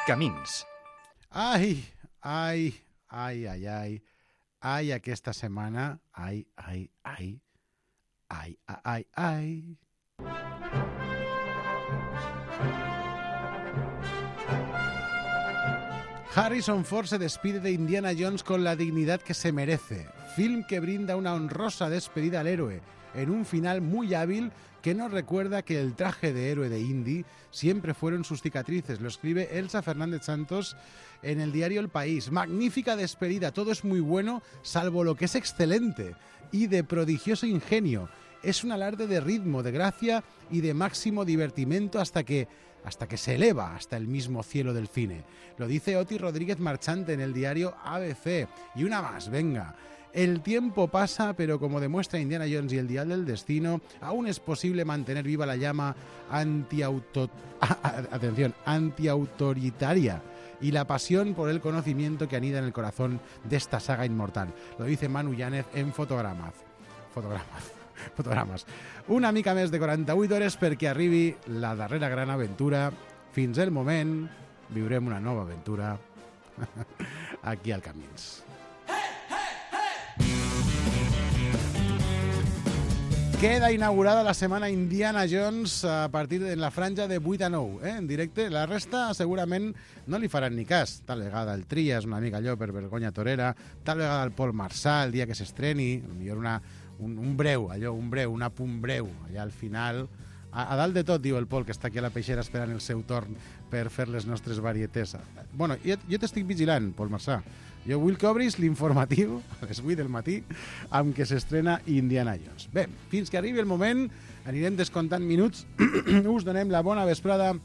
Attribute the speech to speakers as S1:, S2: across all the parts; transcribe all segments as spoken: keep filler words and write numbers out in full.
S1: Camins.
S2: Ai, ai, ai, ai, ai, ai, aquesta setmana, ai, ai, ai, ai, ai, ai. Harrison Ford se despide de Indiana Jones con la dignidad que se merece. Film que brinda una honrosa despedida al héroe, en un final muy hábil que nos recuerda que el traje de héroe de Indy siempre fueron sus cicatrices. Lo escribe Elsa Fernández Santos en el diario El País. Magnífica despedida, todo es muy bueno, salvo lo que es excelente y de prodigioso ingenio. Es un alarde de ritmo, de gracia y de máximo divertimento hasta que, hasta que se eleva hasta el mismo cielo del cine. Lo dice Oti Rodríguez Marchante en el diario A B C. Y una más, venga. El tiempo pasa, pero como demuestra Indiana Jones y el Dial del Destino, aún es posible mantener viva la llama antiauto... atención, antiautoritaria y la pasión por el conocimiento que anida en el corazón de esta saga inmortal. Lo dice Manu Yáñez en Fotogramas. Fotogramas. Fotogrames. Una mica més de quaranta-vuit hores perquè arribi la darrera gran aventura. Fins el moment viurem una nova aventura aquí al Camins. Queda inaugurada la setmana Indiana Jones a partir de la franja de vuit a nou, eh, en directe. La resta segurament no li faran ni cas. Tal vegada el Trias, una mica allò per vergonya torera, tal vegada el Paul Marçal, el dia que s'estreni, potser una, un, un breu, allò, un breu, un apunt breu, allà al final. A, a dalt de tot, diu el Pol, que està aquí a la peixera esperant el seu torn per fer les nostres varietés. Bueno, jo, jo t'estic vigilant, Pol Marçà. Jo vull que obris l'informatiu a les vuit del matí amb què s'estrena Indiana Jones. Bé, fins que arribi el moment, anirem descomptant minuts. Us donem la bona vesprada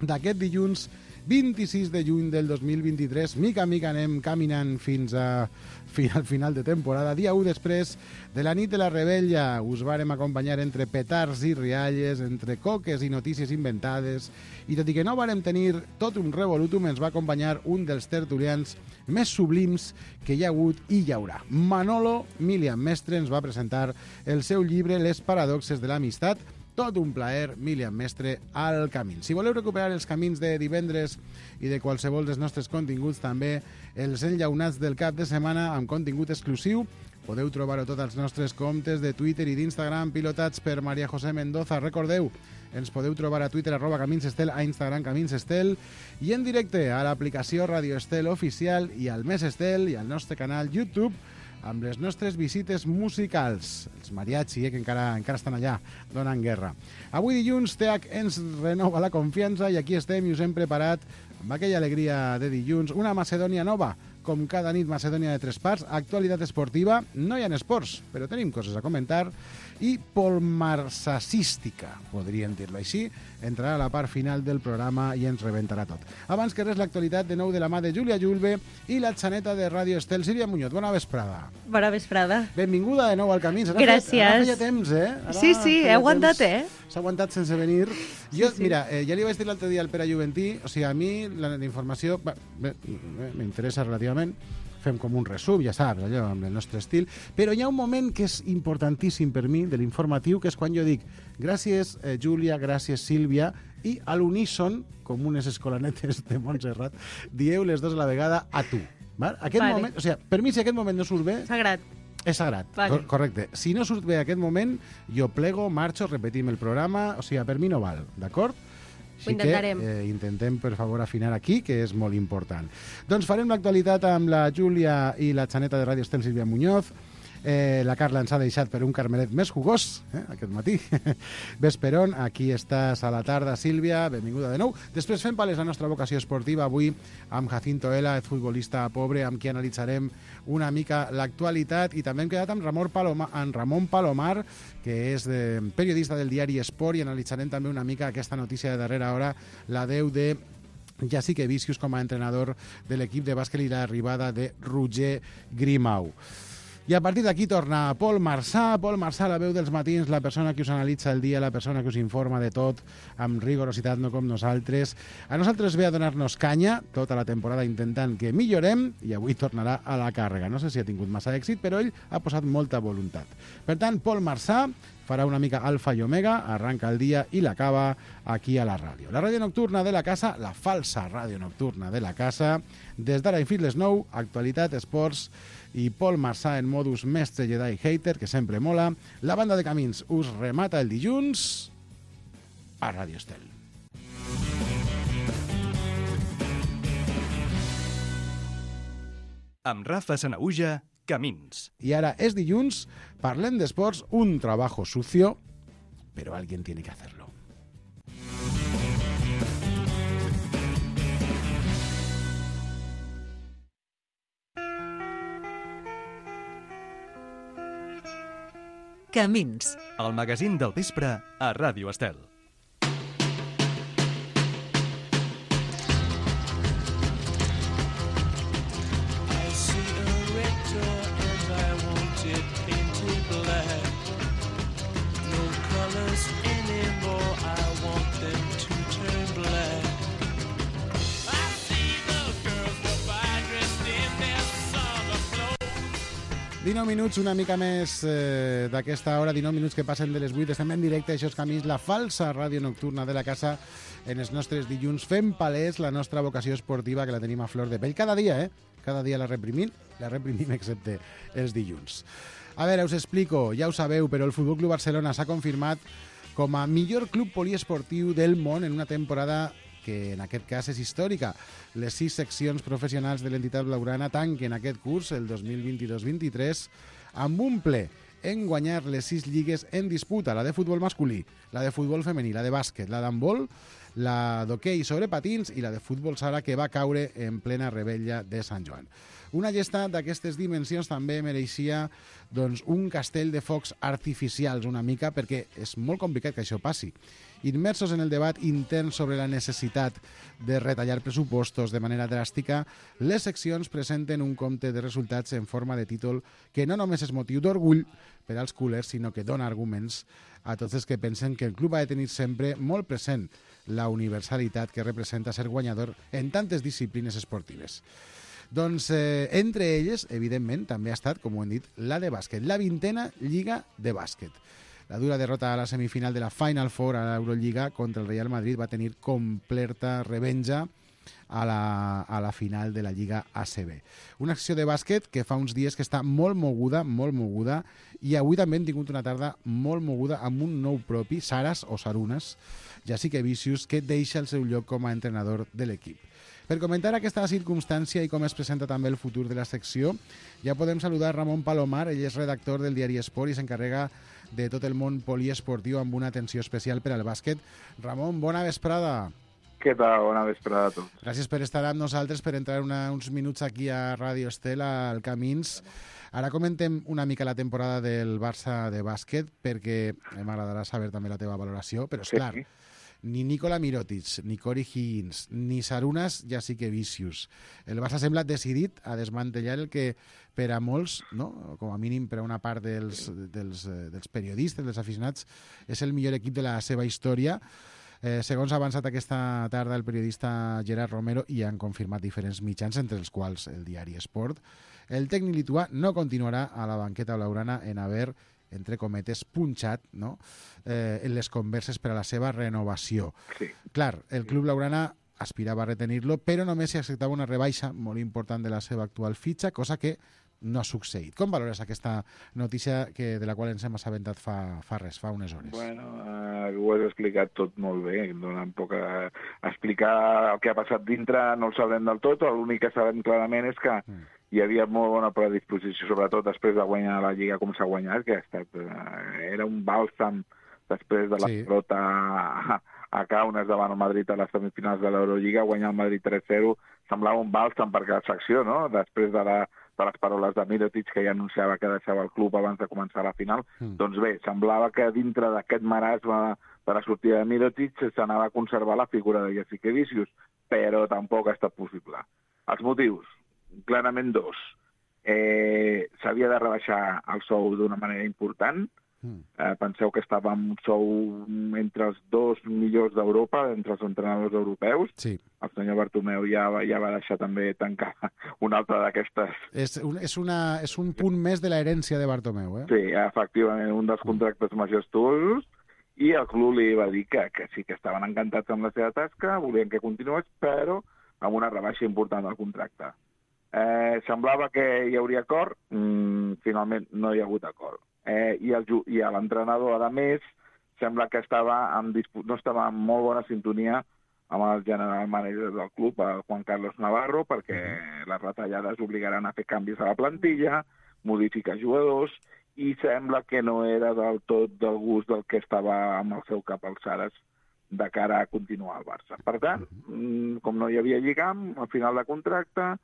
S2: d'aquest dilluns vint-i-sis de juny del dos mil vint-i-tres. Mica a mica anem caminant fins a al final de temporada. Dia u després de la nit de la rebella. Us vàrem acompanyar entre petards i rialles, entre coques i notícies inventades, i tot i que no vàrem tenir tot un revolutum, ens va acompanyar un dels tertulians més sublims que hi ha hagut i hi haurà. Manolo Milian Mestre ens va presentar el seu llibre Les paradoxes de l'amistat. Tot un plaer, Milian Mestre, al camí. Si voleu recuperar els camins de divendres i de qualsevol dels nostres continguts, també els enllaunats del cap de setmana amb contingut exclusiu, podeu trobar-ho tots els nostres comptes de Twitter i d'Instagram pilotats per María José Mendoza. Recordeu, ens podeu trobar a Twitter arroba Camins Estel, a Instagram Camins Estel i en directe a l'aplicació Radio Estel Oficial i al Més Estel i al nostre canal YouTube amb les nostres visites musicals. Els mariachi, eh, que encara, encara estan allà, donant guerra. Avui dilluns, T H ens renova la confiança i aquí estem i us hem preparat, amb aquella alegria de dilluns, una Macedònia nova. Com cada nit, Macedònia de tres parts, actualitat esportiva, no hi ha esports, però tenim coses a comentar, i polmarsassística, podríem dir-lo així, entrarà a la part final del programa i ens rebentarà tot. Abans que res, l'actualitat de nou de la mà de Júlia Julve i la xaneta de Ràdio Estel, Sílvia Muñoz. Bona vesprada.
S3: Bona vesprada.
S2: Benvinguda de nou al Camí. Ara
S3: Gràcies.
S2: Feia, ara feia temps, eh? Ara
S3: sí, sí, he aguantat,
S2: temps.
S3: eh?
S2: S'ha aguantat sense venir. Jo,
S3: sí, sí.
S2: Mira, eh, ja li vaig dir l'altre dia al Pere Juventí, o sigui, a mi la, la informació m'interessa relativament, fem com un resum, ja saps, allò, amb el nostre estil, però hi ha un moment que és importantíssim per mi, de l'informatiu, que és quan jo dic gràcies, eh, Júlia, gràcies, Sílvia, i a l'uníson, com unes escolanetes de Montserrat, dieu les dos a la vegada a tu. Val? Aquest
S3: vale.
S2: moment, o sigui, per mi, si aquest moment no surt bé...
S3: Sagrat.
S2: És sagrat, vale. Cor correcte. Si no surt bé aquest moment, jo plego, marxo, repetim el programa, o sigui, per mi no val, d'acord?
S3: Ho intentarem.
S2: Que, eh, intentem, per favor, afinar aquí, que és molt important. Doncs farem l'actualitat amb la Júlia i la xaneta de Ràdio Estel, Sílvia Muñoz. Eh, la Carla ens ha deixat per un carmelet més jugós, eh, aquest matí. Vesperon, aquí estàs a la tarda, Sílvia, benvinguda de nou. Després fem pales la nostra vocació esportiva, avui amb Jacinto Ela, el futbolista pobre, amb qui analitzarem una mica l'actualitat, i també hem quedat amb Ramon Palomar, amb Ramon Palomar, que és de, periodista del diari Esport, i analitzarem també una mica aquesta notícia de darrera hora, la deu de Jessica Vicius com a entrenador de l'equip de bàsquet i l'arribada de Roger Grimau. I a partir d'aquí torna Pol Marçà, Pol Marçà, la veu dels matins, la persona que us analitza el dia, la persona que us informa de tot, amb rigorositat, no com nosaltres. A nosaltres ve a donar-nos canya, tota la temporada intentant que millorem, i avui tornarà a la càrrega. No sé si ha tingut massa èxit, però ell ha posat molta voluntat. Per tant, Pol Marçà farà una mica alfa i omega, arranca el dia i l'acaba aquí a la ràdio. La ràdio nocturna de la casa, la falsa ràdio nocturna de la casa, des d'ara i fins les nou, actualitat, esports, i Pol Marçà en modus mestre Jedi hater, que sempre mola. La banda de Camins us remata el dilluns a Ràdio Estel.
S1: Amb Rafa Sanahuja, Camins.
S2: I ara és dilluns, parlem d'esports, un trabajo sucio, però alguien tiene que hacerlo.
S4: Camins.
S1: El magazín del vespre a Ràdio Estel.
S2: dinou minuts, una mica més eh, d'aquesta hora, dinou minuts que passen de les vuit. Estem en directe, això és Camins, la falsa ràdio nocturna de la casa, en els nostres dilluns, fent palès la nostra vocació esportiva, que la tenim a flor de pell cada dia, eh? Cada dia la reprimim, la reprimim excepte els dilluns. A veure, us explico, ja ho sabeu, però el Futbol Club Barcelona s'ha confirmat com a millor club poliesportiu del món en una temporada que en aquest cas és històrica. Les sis seccions professionals de l'entitat blaugrana tanquen aquest curs, el dos mil vint-i-dos vint-i-tres, amb un ple en guanyar les sis lligues en disputa, la de futbol masculí, la de futbol femení, la de bàsquet, la d'handbol, la d'hoquei sobre patins i la de futbol sala, que va caure en plena rebella de Sant Joan. Una gesta d'aquestes dimensions també mereixia doncs, un castell de focs artificials una mica, perquè és molt complicat que això passi. Immersos en el debat intern sobre la necessitat de retallar pressupostos de manera dràstica, les seccions presenten un compte de resultats en forma de títol que no només és motiu d'orgull per als culers, sinó que dona arguments a tots els que pensen que el club ha de tenir sempre molt present la universalitat que representa ser guanyador en tantes disciplines esportives. Doncs eh, entre elles, evidentment, també ha estat, com ho hem dit, la de bàsquet, la vintena lliga de bàsquet. La dura derrota a la semifinal de la Final Four a l'Eurolliga contra el Real Madrid va tenir completa revenja a la, a la final de la Lliga A C B. Una acció de bàsquet que fa uns dies que està molt moguda, molt moguda, i avui també hem tingut una tarda molt moguda amb un nou propi, Saras o Sarunas, Jessica Vicius, que deixa el seu lloc com a entrenador de l'equip. Per comentar aquesta circumstància i com es presenta també el futur de la secció, ja podem saludar Ramon Palomar. Ell és redactor del diari Esport i s'encarrega de tot el món poliesportiu amb una atenció especial per al bàsquet. Ramon, bona vesprada.
S5: Què tal? Bona vesprada a tots.
S2: Gràcies per estar amb nosaltres, per entrar una, uns minuts aquí a Ràdio Estel, al Camins. Ara comentem una mica la temporada del Barça de bàsquet, perquè m'agradarà saber també la teva valoració, però és
S5: Sí.
S2: clar, ni Nikola Mirotic, ni Corey Higgins, ni Sarunas Jessica Vicius. El Barça sembla decidit a desmantellar el que per a molts, no? Com a mínim per a una part dels, dels, dels periodistes, dels aficionats, és el millor equip de la seva història. Eh, segons ha avançat aquesta tarda el periodista Gerard Romero, i han confirmat diferents mitjans, entre els quals el diari Esport, el tècnic lituà no continuarà a la banqueta blaugrana en haver, entre cometes, punxat, no? eh, en les converses per a la seva renovació.
S5: Sí.
S2: Clar, el club blaugrana aspirava a retenir-lo, però només si acceptava una rebaixa molt important de la seva actual fitxa, cosa que no ha succeït. Com valores aquesta notícia que, de la qual ens hem assabentat fa, fa res, fa unes hores?
S5: Bueno, eh, ho has explicat tot molt bé, donant poc a explicar el que ha passat dintre, no ho sabrem del tot, l'únic que sabem clarament és que mm. hi havia molt bona predisposició, sobretot després de guanyar la Lliga com s'ha guanyat, que ha estat, eh, era un bàlsam després de la
S2: Sí.
S5: derrota a, a Kaunas davant el Madrid a les semifinals de l'Eurolliga, guanyar el Madrid tres zero, semblava un bàlsam per cada secció, no? Després de, la, de les paraules de Mirotic, que ja anunciava que deixava el club abans de començar la final. Mm. Doncs bé, semblava que dintre d'aquest marasme de la sortida de Mirotic s'anava a conservar la figura de Jessica Vicius, però tampoc ha estat possible. Els motius, clarament dos. eh, s'havia de rebaixar el sou d'una manera important. Mm. Eh, penseu que estava amb un sou entre els dos millors d'Europa, entre els entrenadors europeus.
S2: Sí.
S5: El senyor Bartomeu ja va, ja va deixar també tancar una altra d'aquestes...
S2: És un, és, una, és un punt més de l'herència de Bartomeu, eh?
S5: Sí, efectivament, un dels contractes majestuosos, i el club li va dir que, que sí que estaven encantats amb la seva tasca, volien que continués, però amb una rebaixa important del contracte. Eh, semblava que hi hauria acord, mm, finalment no hi ha hagut acord. Eh, i, el, i l'entrenador, a més, sembla que estava en dispu- no estava en molt bona sintonia amb el general manager del club, el Juan Carlos Navarro, perquè les retallades obligaran a fer canvis a la plantilla, modificar jugadors, i sembla que no era del tot del gust del que estava amb el seu cap alçades de cara a continuar al Barça. Per tant, com no hi havia lligam, al final de contracte,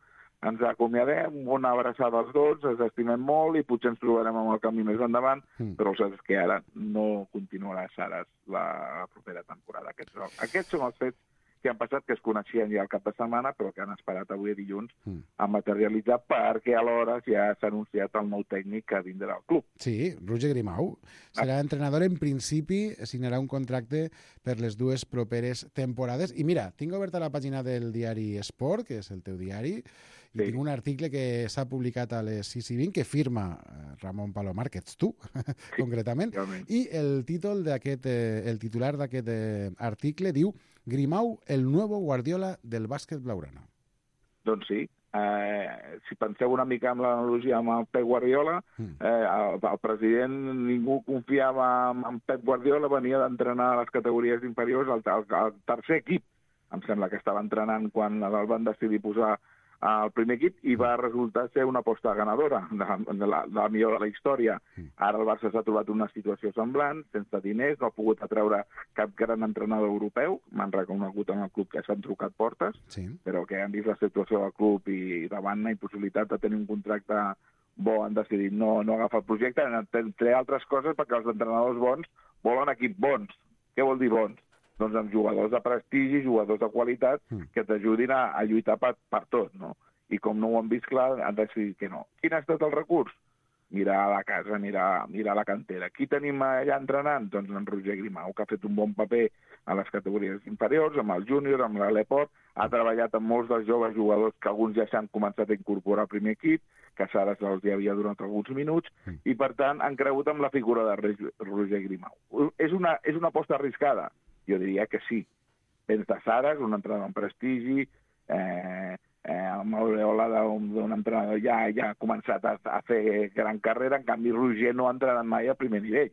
S5: ens acomiadem, una abraçada als dos, ens estimem molt i potser ens trobarem amb el camí més endavant, mm. però saps que ara no continuarà Saras la propera temporada. Aquests, aquests són els fets que han passat, que es coneixien ja el cap de setmana, però que han esperat avui dilluns mm. a materialitzar, perquè alhora ja s'ha anunciat el nou tècnic que vindrà al club.
S2: Sí, Roger Grimau. Serà ah. entrenador, en principi, signarà un contracte per les dues properes temporades. I mira, tinc oberta la pàgina del diari Esport, que és el teu diari, i sí. tinc un article que s'ha publicat a les sis i vint que firma Ramon Palomar, que ets tu, sí, concretament, realment. I el títol d'aquest, eh, el titular d'aquest eh, article diu Grimau, el nuevo Guardiola del bàsquet blaugrana.
S5: Doncs sí. Eh, si penseu una mica en l'analogia amb el Pep Guardiola, mm. eh, el, el president, ningú confiava en, en Pep Guardiola, venia d'entrenar a les categories inferiors al, al, al tercer equip. Em sembla que estava entrenant quan el van decidir posar al primer equip i va resultar ser una aposta ganadora de, de, la, de la millor de la història. Ara el Barça s'ha trobat una situació semblant, sense diners, no ha pogut atreure cap gran entrenador europeu, m'han reconegut en el club que s'han trucat portes, sí. però que han vist la situació del club i davant la impossibilitat de tenir un contracte bo han decidit no, no agafar el projecte, entre altres coses perquè els entrenadors bons volen equips bons. Què vol dir bons? Doncs amb jugadors de prestigi, jugadors de qualitat, que t'ajudin a, a lluitar per, per tot, no? I com no ho han vist clar, han decidit que no. Quin ha estat el recurs? Mirar a la casa, mirar, mirar la cantera. Qui tenim allà entrenant? Doncs en Roger Grimau, que ha fet un bon paper a les categories inferiors, amb el júnior, amb l'Aleport, ha treballat amb molts dels joves jugadors que alguns ja s'han començat a incorporar al primer equip, que Sara se'ls hi havia donat alguns minuts, i per tant han cregut amb la figura de Roger Grimau. És una, és una aposta arriscada? Jo diria que sí. Vens de Saras, un entrenador en prestigi, eh, eh, amb l'aureola d'un entrenador ja, ja ha començat a, a fer gran carrera, en canvi Roger no ha entrenat mai a primer nivell.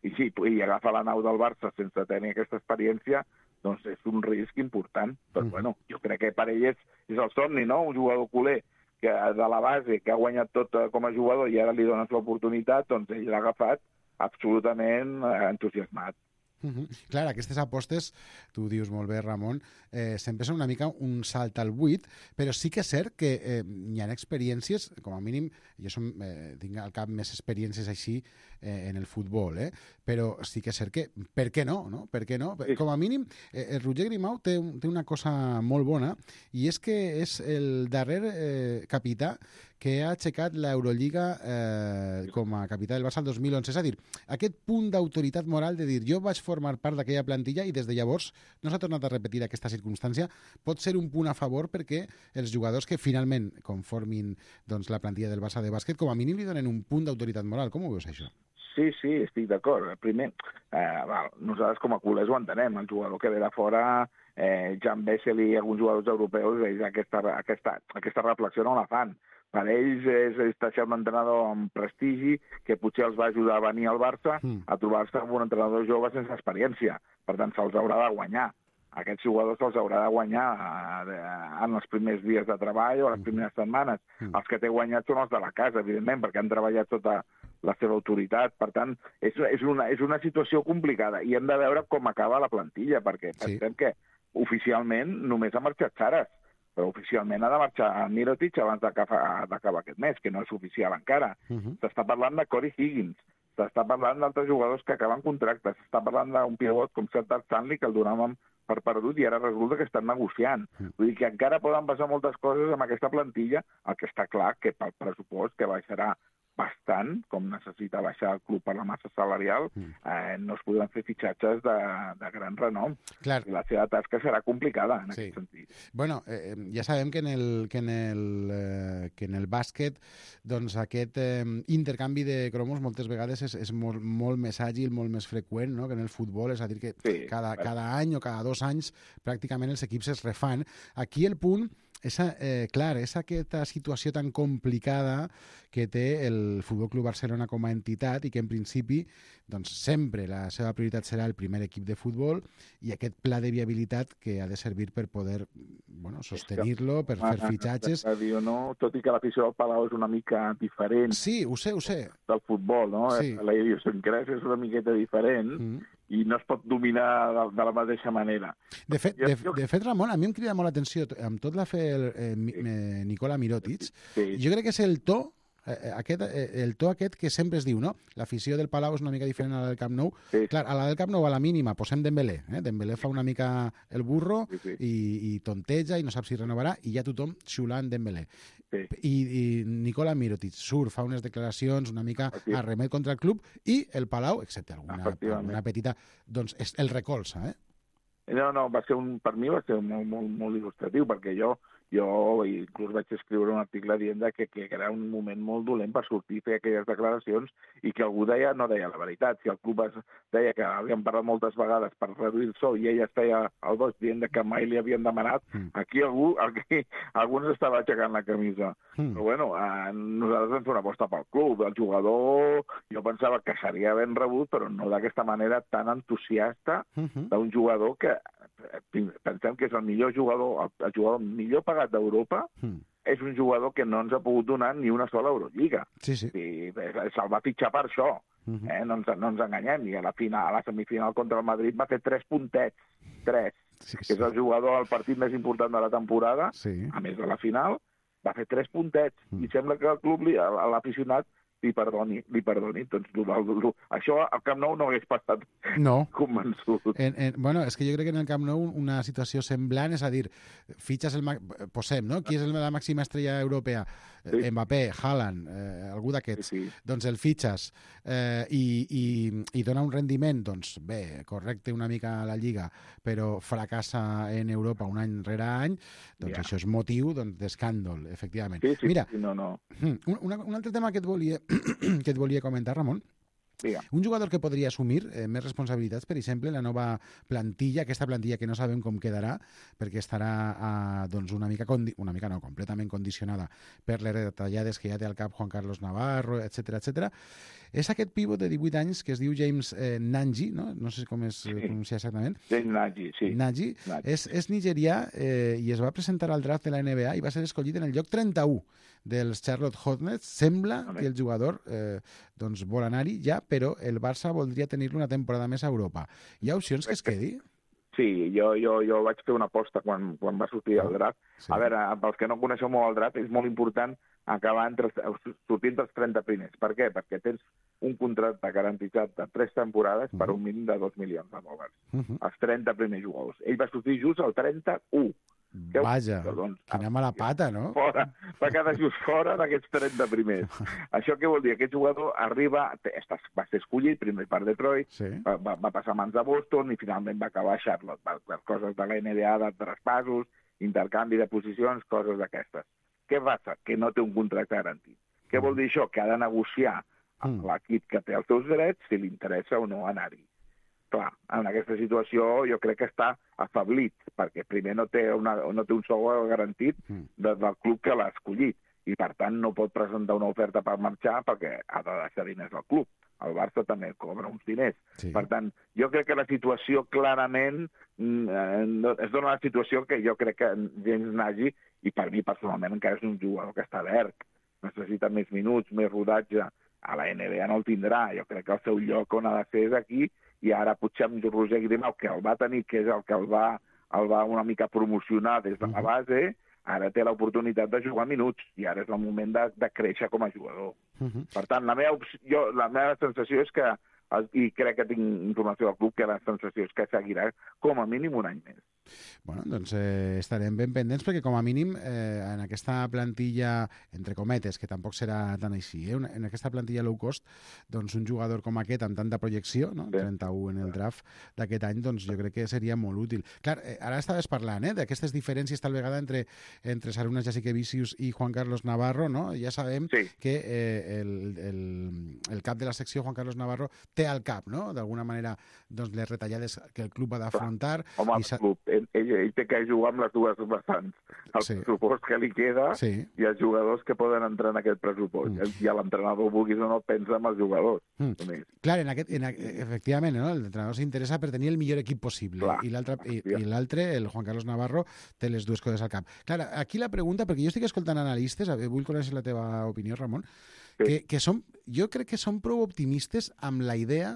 S5: I sí, i agafar la nau del Barça sense tenir aquesta experiència, doncs és un risc important. Però mm. bueno, jo crec que per ell és, és el somni, no? Un jugador culer que de la base, que ha guanyat tot com a jugador i ara li dones l'oportunitat, doncs ell l'ha agafat absolutament entusiasmat.
S2: Uh-huh. Clar, aquestes apostes, tu dius molt bé, Ramon, eh, sempre són una mica un salt al buit, però sí que és cert que eh, hi ha experiències, com a mínim, jo som, eh, tinc al cap més experiències així eh, en el futbol, eh? Però sí que és cert que, per què no? no? Per què no? Sí. Com a mínim, eh, el Roger Grimau té, té una cosa molt bona, i és que és el darrer eh, capità que ha aixecat l'Eurolliga eh, com a capità del Barça el dos mil onze. És a dir, aquest punt d'autoritat moral de dir jo vaig formar part d'aquella plantilla i des de llavors no s'ha tornat a repetir aquesta circumstància, pot ser un punt a favor perquè els jugadors que finalment conformin doncs, la plantilla del Barça de bàsquet com a mínim li donen un punt d'autoritat moral. Com ho veus, això?
S5: Sí, sí, estic d'acord. Primer, eh, val, nosaltres com a culers ho entenem. El jugador que ve de fora, eh, Jan Bessel i alguns jugadors europeus, ells aquesta, aquesta, aquesta reflexió no la fan. Per ells és, és deixar un entrenador amb prestigi que potser els va ajudar a venir al Barça mm. a trobar-se amb un entrenador jove sense experiència. Per tant, se'ls haurà de guanyar. Aquests jugadors se'ls haurà de guanyar en els primers dies de treball o les primeres setmanes. Mm. Els que té guanyat són els de la casa, evidentment, perquè han treballat tota la seva autoritat. Per tant, és, és, una, és una situació complicada i hem de veure com acaba la plantilla, perquè sí. pensem que oficialment només ha marxat Saras, però oficialment ha de marxar a Mirotic abans d'acabar aquest mes, que no és oficial encara. Uh-huh. S'està parlant de Corey Higgins, s'està parlant d'altres jugadors que acaben contractes, s'està parlant d'un pivot com Celta Stanley, que el donàvem per perdut i ara resulta que estan negociant. Vull dir que encara poden passar moltes coses amb aquesta plantilla, el que està clar que pel pressupost, que baixarà bastant, com necessita baixar el club per la massa salarial, eh, no es podran fer fitxatges de, de gran renom.
S2: Clar.
S5: La seva tasca serà complicada en
S2: Sí.
S5: aquest sentit.
S2: Bueno, eh, ja sabem que en el, que en el, eh, que en el bàsquet doncs aquest eh, intercanvi de cromos moltes vegades és, és molt, molt més àgil, molt més freqüent, no?, que en el futbol, és a dir, que
S5: Sí,
S2: cada,
S5: clar.
S2: cada any o cada dos anys pràcticament els equips es refan. Aquí el punt és, eh, clar, és aquesta situació tan complicada que té el Futbol Club Barcelona com a entitat i que en principi doncs, sempre la seva prioritat serà el primer equip de futbol i aquest pla de viabilitat que ha de servir per poder bueno, sostenir-lo, per fer fitxatges.
S5: Dir, no? Tot i que l'afició del Palau és una mica diferent
S2: Sí, ho sé, ho sé.
S5: del futbol, no?
S2: Sí.
S5: La idiosincràsia és una miqueta diferent
S2: Mm.
S5: i no es pot dominar de, de la mateixa manera.
S2: De fet,
S5: Jo-
S2: de,
S5: jo-
S2: de fet, Ramon, a mi em crida molt l'atenció, amb tot la fe el, eh, mi- eh, Nicola Mirotic,
S5: Sí.
S2: jo crec que és el to eh, aquest, eh, el to aquest que sempre es diu, no? L'afició del Palau és una mica diferent a la del Camp Nou.
S5: Sí.
S2: Clar, a la del Camp Nou, a la mínima, posem Dembélé. Eh? Dembélé fa una mica el burro
S5: Sí, sí.
S2: i, i tonteja i no sap si renovarà i ja tothom xiulant Dembélé.
S5: Sí.
S2: I, i Nicola Mirotic surt, fa unes declaracions una mica
S5: Sí.
S2: a remet contra el club i el Palau, excepte alguna,
S5: Efectivament.
S2: alguna petita, doncs és el recolza, eh?
S5: No, no, va ser un, per mi va ser molt, molt, molt il·lustratiu, perquè jo, jo inclús vaig escriure un article dient que, que era un moment molt dolent per sortir i fer aquelles declaracions i que algú deia, no deia la veritat. Si el club es deia que havien parlat moltes vegades per reduir el sou i ella es feia el boig dient que mai li havien demanat,
S2: Mm.
S5: aquí algú, aquí, algú ens estava aixecant la camisa.
S2: Mm.
S5: Però bueno, eh, nosaltres vam fer una aposta pel club. El jugador, jo pensava que seria ben rebut, però no d'aquesta manera tan entusiasta
S2: Mhm.
S5: d'un jugador que eh, pensem que és el millor jugador, el, el jugador millor pagat d'Europa,
S2: Mm.
S5: és un jugador que no ens ha pogut donar ni una sola Eurolliga.
S2: Sí, sí.
S5: I se'l va fitxar per això,
S2: Mhm.
S5: eh? no, ens, no ens enganyem. I a la final, a la semifinal contra el Madrid va fer tres puntets, tres,
S2: Sí,
S5: que
S2: sí.
S5: és el jugador al partit més important de la temporada,
S2: Sí.
S5: a més de la final, va fer tres puntets,
S2: Mm.
S5: i sembla que el club, li- a l'aficionat, li perdoni, li perdoni. Doncs, lo, lo, lo, això al Camp Nou no hagués passat
S2: No.
S5: convençut.
S2: En, en, bueno, és que jo crec que en el Camp Nou una situació semblant, és a dir, fitxes el... ma- Posem, no? Qui és el, la màxima estrella europea?
S5: Sí.
S2: Eh, Mbappé, Haaland, eh, algú d'aquests.
S5: Sí, sí.
S2: Doncs el fitxes eh, i, i, i dona un rendiment, doncs bé, correcte una mica a la Lliga, però fracassa en Europa un any rere any, doncs
S5: Ja.
S2: això és motiu doncs, d'escàndol, efectivament.
S5: Sí, sí,
S2: Mira,
S5: sí, no, no.
S2: un, una, un altre tema que et volia, que et volia comentar, Ramon,
S5: Digue.
S2: un jugador que podria assumir eh, més responsabilitats, per exemple, la nova plantilla, aquesta plantilla que no sabem com quedarà, perquè estarà eh, doncs una mica, condi una mica no, completament condicionada per les retallades que ja té al cap Juan Carlos Navarro, etcètera etcètera. És aquest pivot de divuit anys que es diu James eh, Nanji, no? no sé com es
S5: Sí.
S2: pronuncia exactament,
S5: James Nagy, sí.
S2: Nagy,
S5: Nagy.
S2: és, és nigerià eh, i es va presentar al draft de la N B A i va ser escollit en el lloc trenta-u dels Charlotte Hornets. Sembla
S5: Vale.
S2: que el jugador eh, doncs vol anar-hi ja, però el Barça voldria tenir-lo una temporada més a Europa. Hi ha opcions que es quedi?
S5: Sí, jo, jo, jo vaig fer una aposta quan, quan va sortir el draft.
S2: Sí.
S5: A veure, pels que no coneixeu molt el draft, és molt important acabar entre, els- sortir entre els trenta primers. Per què? Perquè tens un contracte garantitzat de tres temporades per un mínim de dos milions de dòlars.
S2: Uh -huh.
S5: Els trenta primers jugadors. Ell va sortir just al trenta-u. Què-
S2: Vaja,
S5: Doncs,
S2: quina mala pata, no?
S5: Fora, va quedar just fora d'aquests trenta primers. Això què vol dir? Aquest jugador arriba, té- està- va ser escollit primer per Detroit,
S2: Sí.
S5: va, va, va passar a mans de Boston i finalment va acabar a Charlotte, per, per coses de la N B A, de traspassos, intercanvi de posicions, coses d'aquestes. Què passa? Que no té un contracte garantit. Què vol dir això? Que ha de negociar amb
S2: Mm.
S5: l'equip que té els seus drets si li interessa o no anar-hi. Clar, en aquesta situació jo crec que està afablit, perquè primer no té, una, no té un sou garantit
S2: Mm.
S5: de, del club que l'ha escollit, i per tant no pot presentar una oferta per marxar perquè ha de deixar diners al club. El Barça també cobra uns diners.
S2: Sí.
S5: Per tant, jo crec que la situació clarament mm, eh, no- es dona la situació que jo crec que James Nagy, i per mi personalment encara és un jugador que està verd, necessita més minuts, més rodatge, a la N B A no el tindrà. Jo crec que el seu lloc on ha de ser és aquí, i ara potser amb Roger Grimau, que el va tenir, que és el que el va, el va una mica promocionar des de la base, ara té l'oportunitat de jugar minuts i ara és el moment de, de créixer com a jugador. Uh-huh. Per tant, la meva, jo, la meva sensació és que, i crec que tinc informació del club, que la sensació és que seguirà com a mínim un any més.
S2: Bueno, doncs eh, estarem ben pendents perquè com a mínim eh, en aquesta plantilla, entre cometes, que tampoc serà tan així, eh, en aquesta plantilla low cost, doncs un jugador com aquest amb tanta projecció, no? Sí. trenta-u en el draft d'aquest any, doncs jo crec que seria molt útil. Clar, eh, ara estaves parlant eh, d'aquestes diferències tal vegada entre, entre Sarunas Jasikevičius i Juan Carlos Navarro, no? Ja sabem sí. que eh, el, el, el cap de la secció, Juan Carlos Navarro, té al cap, no? D'alguna manera, doncs, les retallades que el club ha d'afrontar.
S5: Home, el club, ell, ell, ell té que jugar amb les dues vessants. El sí. pressupost que li queda sí. i els jugadors que poden entrar en aquest pressupost. Mm. I l'entrenador, vulguis o no, pensa en els jugadors. Mm.
S2: Clar, en aquest, en, efectivament, no? L'entrenador s'interessa per tenir el millor equip possible. Clar. I l'altre, i, i l'altre, el Juan Carlos Navarro, té les dues coses al cap. Clar, aquí la pregunta, perquè jo estic escoltant analistes, vull conèixer la teva opinió, Ramon, sí. que, que som, jo crec que són prou optimistes amb la idea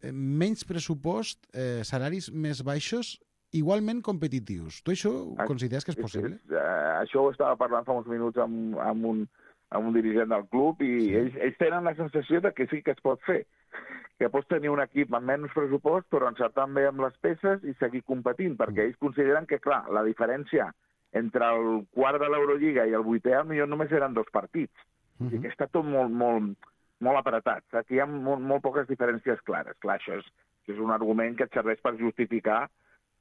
S2: eh, menys pressupost, eh, salaris més baixos, igualment competitius. Tu això ho consideres que és possible?
S5: És, és, uh, això ho estava parlant fa uns minuts amb, amb, un, amb un dirigent del club i sí. ells, ells tenen la sensació de que sí que es pot fer. Que pots tenir un equip amb menys pressupost però encertant bé amb les peces i seguir competint, perquè mm. ells consideren que, clar, la diferència entre el quart de l'Eurolliga i el vuitè millor només eren dos partits. Mm -hmm. I que està tot molt, molt, molt apretat. Aquí hi ha molt, molt poques diferències clares. Clar, això és, és un argument que et serveix per justificar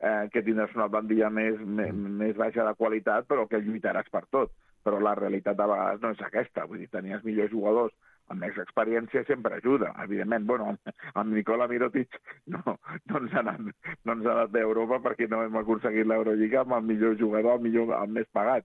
S5: eh, que tindràs una plantilla més, més, més baixa de qualitat, però que lluitaràs per tot. Però la realitat de vegades no és aquesta. Vull dir, tenies millors jugadors amb més experiència sempre ajuda. Evidentment, bueno, amb Nikola Mirotic no, no ens ha anat, no ens ha anat d'Europa perquè no hem aconseguit l'Eurolliga amb el millor jugador, el, millor, el més pagat.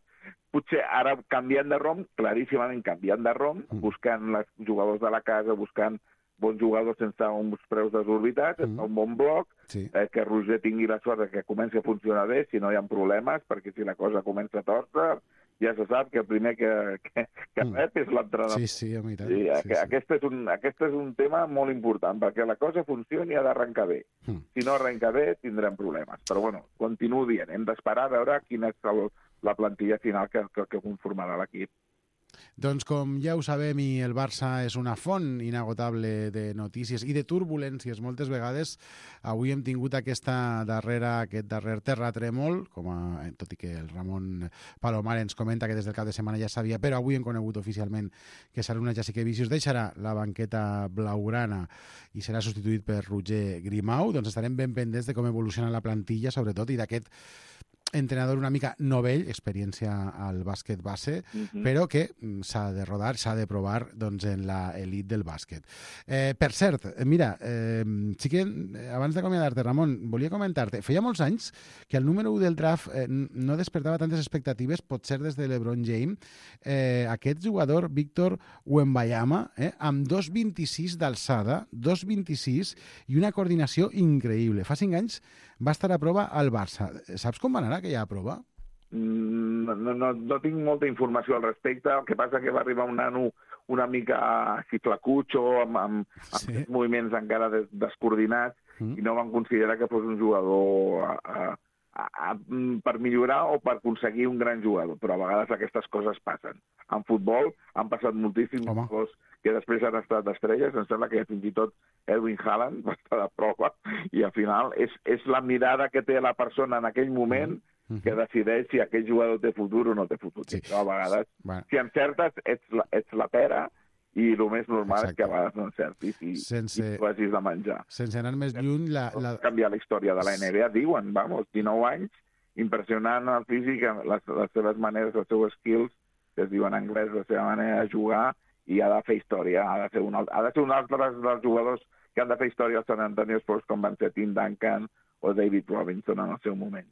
S5: Potser ara canviant de rom, claríssimament canviant de rom, buscant els jugadors de la casa, buscant bons jugadors sense uns preus desorbitats, mm. un bon bloc, sí. eh, que Roger tingui la sort de que comenci a funcionar bé, si no hi ha problemes, perquè si la cosa comença a torta, ja se sap que el primer que, que, que mm. rep és l'entrenador.
S2: Sí, sí, a mi tant.
S5: Sí,
S2: sí, sí.
S5: Aquest, és un, aquest és un tema molt important, perquè la cosa funcioni ha d'arrencar bé. Mm. Si no arrenca bé, tindrem problemes. Però, bueno, continuo dient, hem d'esperar a veure quina és el, la plantilla final que, que, que conformarà l'equip.
S2: Doncs com ja ho sabem, i el Barça és una font inagotable de notícies i de turbulències moltes vegades, avui hem tingut aquesta darrera, aquest darrer terratrèmol, com a, tot i que el Ramon Palomar ens comenta que des del cap de setmana ja sabia, però avui hem conegut oficialment que Sarunas Jasikevičius deixarà la banqueta blaugrana i serà substituït per Roger Grimau. Doncs estarem ben pendents de com evoluciona la plantilla, sobretot, i d'aquest entrenador una mica novell, experiència al bàsquet base, uh-huh. però que s'ha de rodar, s'ha de provar doncs, en l'elit del bàsquet. Eh, per cert, mira, eh, sí que abans d'acomiadar-te, Ramon, volia comentar-te, feia molts anys que el número u del draft eh, no despertava tantes expectatives, potser des de LeBron James, eh, aquest jugador, Víctor Wembanyama, eh, amb dos coma vint-i-sis d'alçada, dos coma vint-i-sis i una coordinació increïble. Fa cinc anys va estar a prova al Barça. Saps com va anar aquella prova?
S5: No, no, no, no tinc molta informació al respecte. El que passa que va arribar un nano una mica xiflacutxo, amb, amb, sí. amb moviments encara des, descoordinats, mm. i no van considerar que fos un jugador a, a, a, a, per millorar o per aconseguir un gran jugador. Però a vegades aquestes coses passen. En futbol han passat moltíssims jugadors que després han estat estrelles. Em sembla que fins i tot Erwin Haaland va estar de prova, i al final és, és la mirada que té la persona en aquell moment mm-hmm. que decideix si aquell jugador té futur o no té futur. Sí. Però a vegades, bueno. si encertes, ets la, ets la pera, i el més normal Exacte. És que a vegades no encertis i, sense, i tu hagis de menjar.
S2: Sense anar més lluny... La, la...
S5: canviar la història de la N B A, diuen, vamos, dinou anys, impressionant el físic, les, les seves maneres, els seus skills, que es diuen en anglès, la seva manera de jugar, i ha de fer història, ha de ser un, ha de ser un altre dels jugadors que han de fer història als San Antonio Spurs, com van ser Tim Duncan o David Robinson en el seu moment.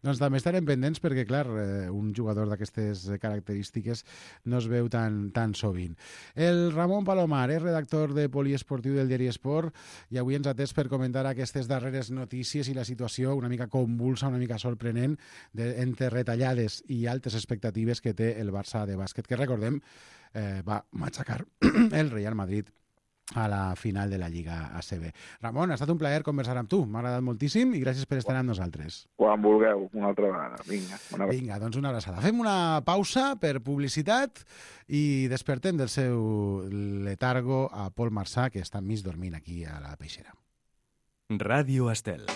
S2: Doncs també estarem pendents perquè, clar, un jugador d'aquestes característiques no es veu tan, tan sovint. El Ramon Palomar és redactor de Poliesportiu del diari Esport i avui ens ha atès per comentar aquestes darreres notícies i la situació una mica convulsa, una mica sorprenent de, entre retallades i altes expectatives que té el Barça de bàsquet, que recordem eh, va matxacar el Real Madrid a la final de la Lliga A C B. Ramon, ha estat un plaer conversar amb tu. M'ha agradat moltíssim i gràcies per estar amb nosaltres.
S5: Quan vulgueu, una altra vegada. Vinga, una vegada.
S2: Vinga, doncs una abraçada. Fem una pausa per publicitat i despertem del seu letargo a Pol Marçà, que està mig dormint aquí a la Peixera.
S1: Ràdio Estel.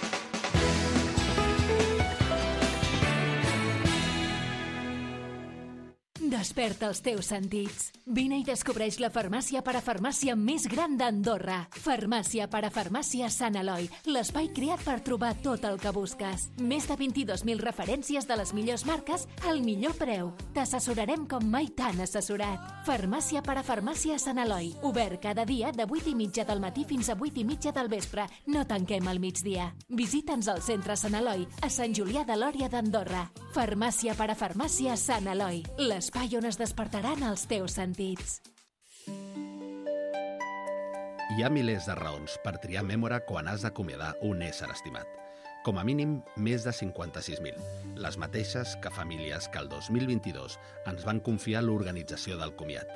S4: Desperta els teus sentits. Vine i descobreix la farmàcia parafarmàcia més gran d'Andorra. Farmàcia parafarmàcia Sant Eloi, l'espai creat per trobar tot el que busques. Més de vint-i-dos mil referències de les millors marques al millor preu. T'assessorarem com mai t'han assessorat. Farmàcia parafarmàcia Sant Eloi, obert cada dia de vuit i mitja del matí fins a vuit i mitja del vespre. No tanquem al migdia. Visita'ns al centre Sant Eloi, a Sant Julià de Lòria d'Andorra. Farmàcia parafarmàcia Sant Eloi, l'espai on es despertaran els teus sentits.
S6: Hi ha milers de raons per triar Mémora quan has d'acomiadar un ésser estimat. Com a mínim, més de cinquanta-sis mil. Les mateixes que famílies que el dos mil vint-i-dos ens van confiar l'organització del comiat.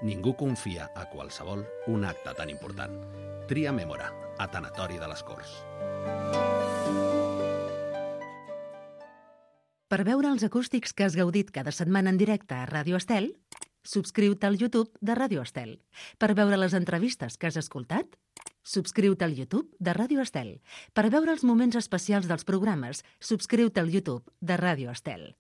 S6: Ningú confia a qualsevol un acte tan important. Tria Mémora, a Tanatori de les Corts.
S7: Per veure els acústics que has gaudit cada setmana en directe a Ràdio Estel, subscriu-te al YouTube de Ràdio Estel. Per veure les entrevistes que has escoltat, subscriu-te al YouTube de Ràdio Estel. Per veure els moments especials dels programes, subscriu-te al YouTube de Ràdio Estel.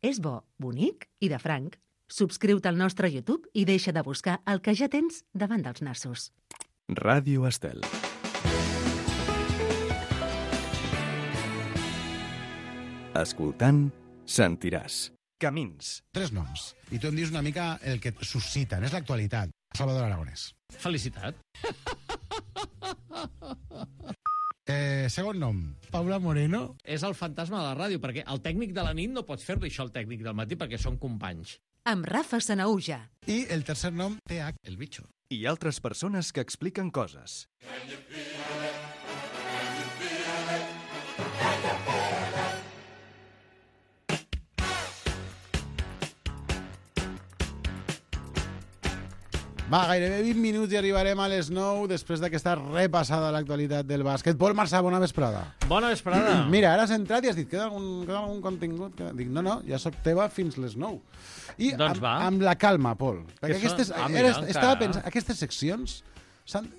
S7: És bo, bonic i de franc. Subscriu-te al nostre YouTube i deixa de buscar el que ja tens davant dels nassos.
S1: Ràdio Estel. Escoltant, sentiràs. Camins.
S2: Tres noms. I tu em dius una mica el que et susciten. És l'actualitat. Salvador Aragonès.
S8: Felicitat.
S2: Eh, segon nom. Paula Moreno.
S8: És el fantasma de la ràdio, perquè el tècnic de la nit no pots fer-li això al tècnic del matí perquè són companys.
S7: Amb Rafa Sanaúja.
S2: I el tercer nom, T H, el bitxo.
S1: I altres persones que expliquen coses.
S2: Va, gairebé vint minuts i arribarem a les nou després d'aquesta repassada a l'actualitat del bàsquet. Pol Marçà, bona vesprada.
S8: Bona vesprada.
S2: Mira, ara has entrat i has dit, queda algun, queda algun contingut? Queda... Dic, no, no, ja soc teva fins les nou. I
S8: doncs
S2: amb,
S8: va.
S2: amb la calma, Pol. Perquè aquestes,
S8: Ah, mira,
S2: era, estava
S8: encara.
S2: pensant, aquestes seccions,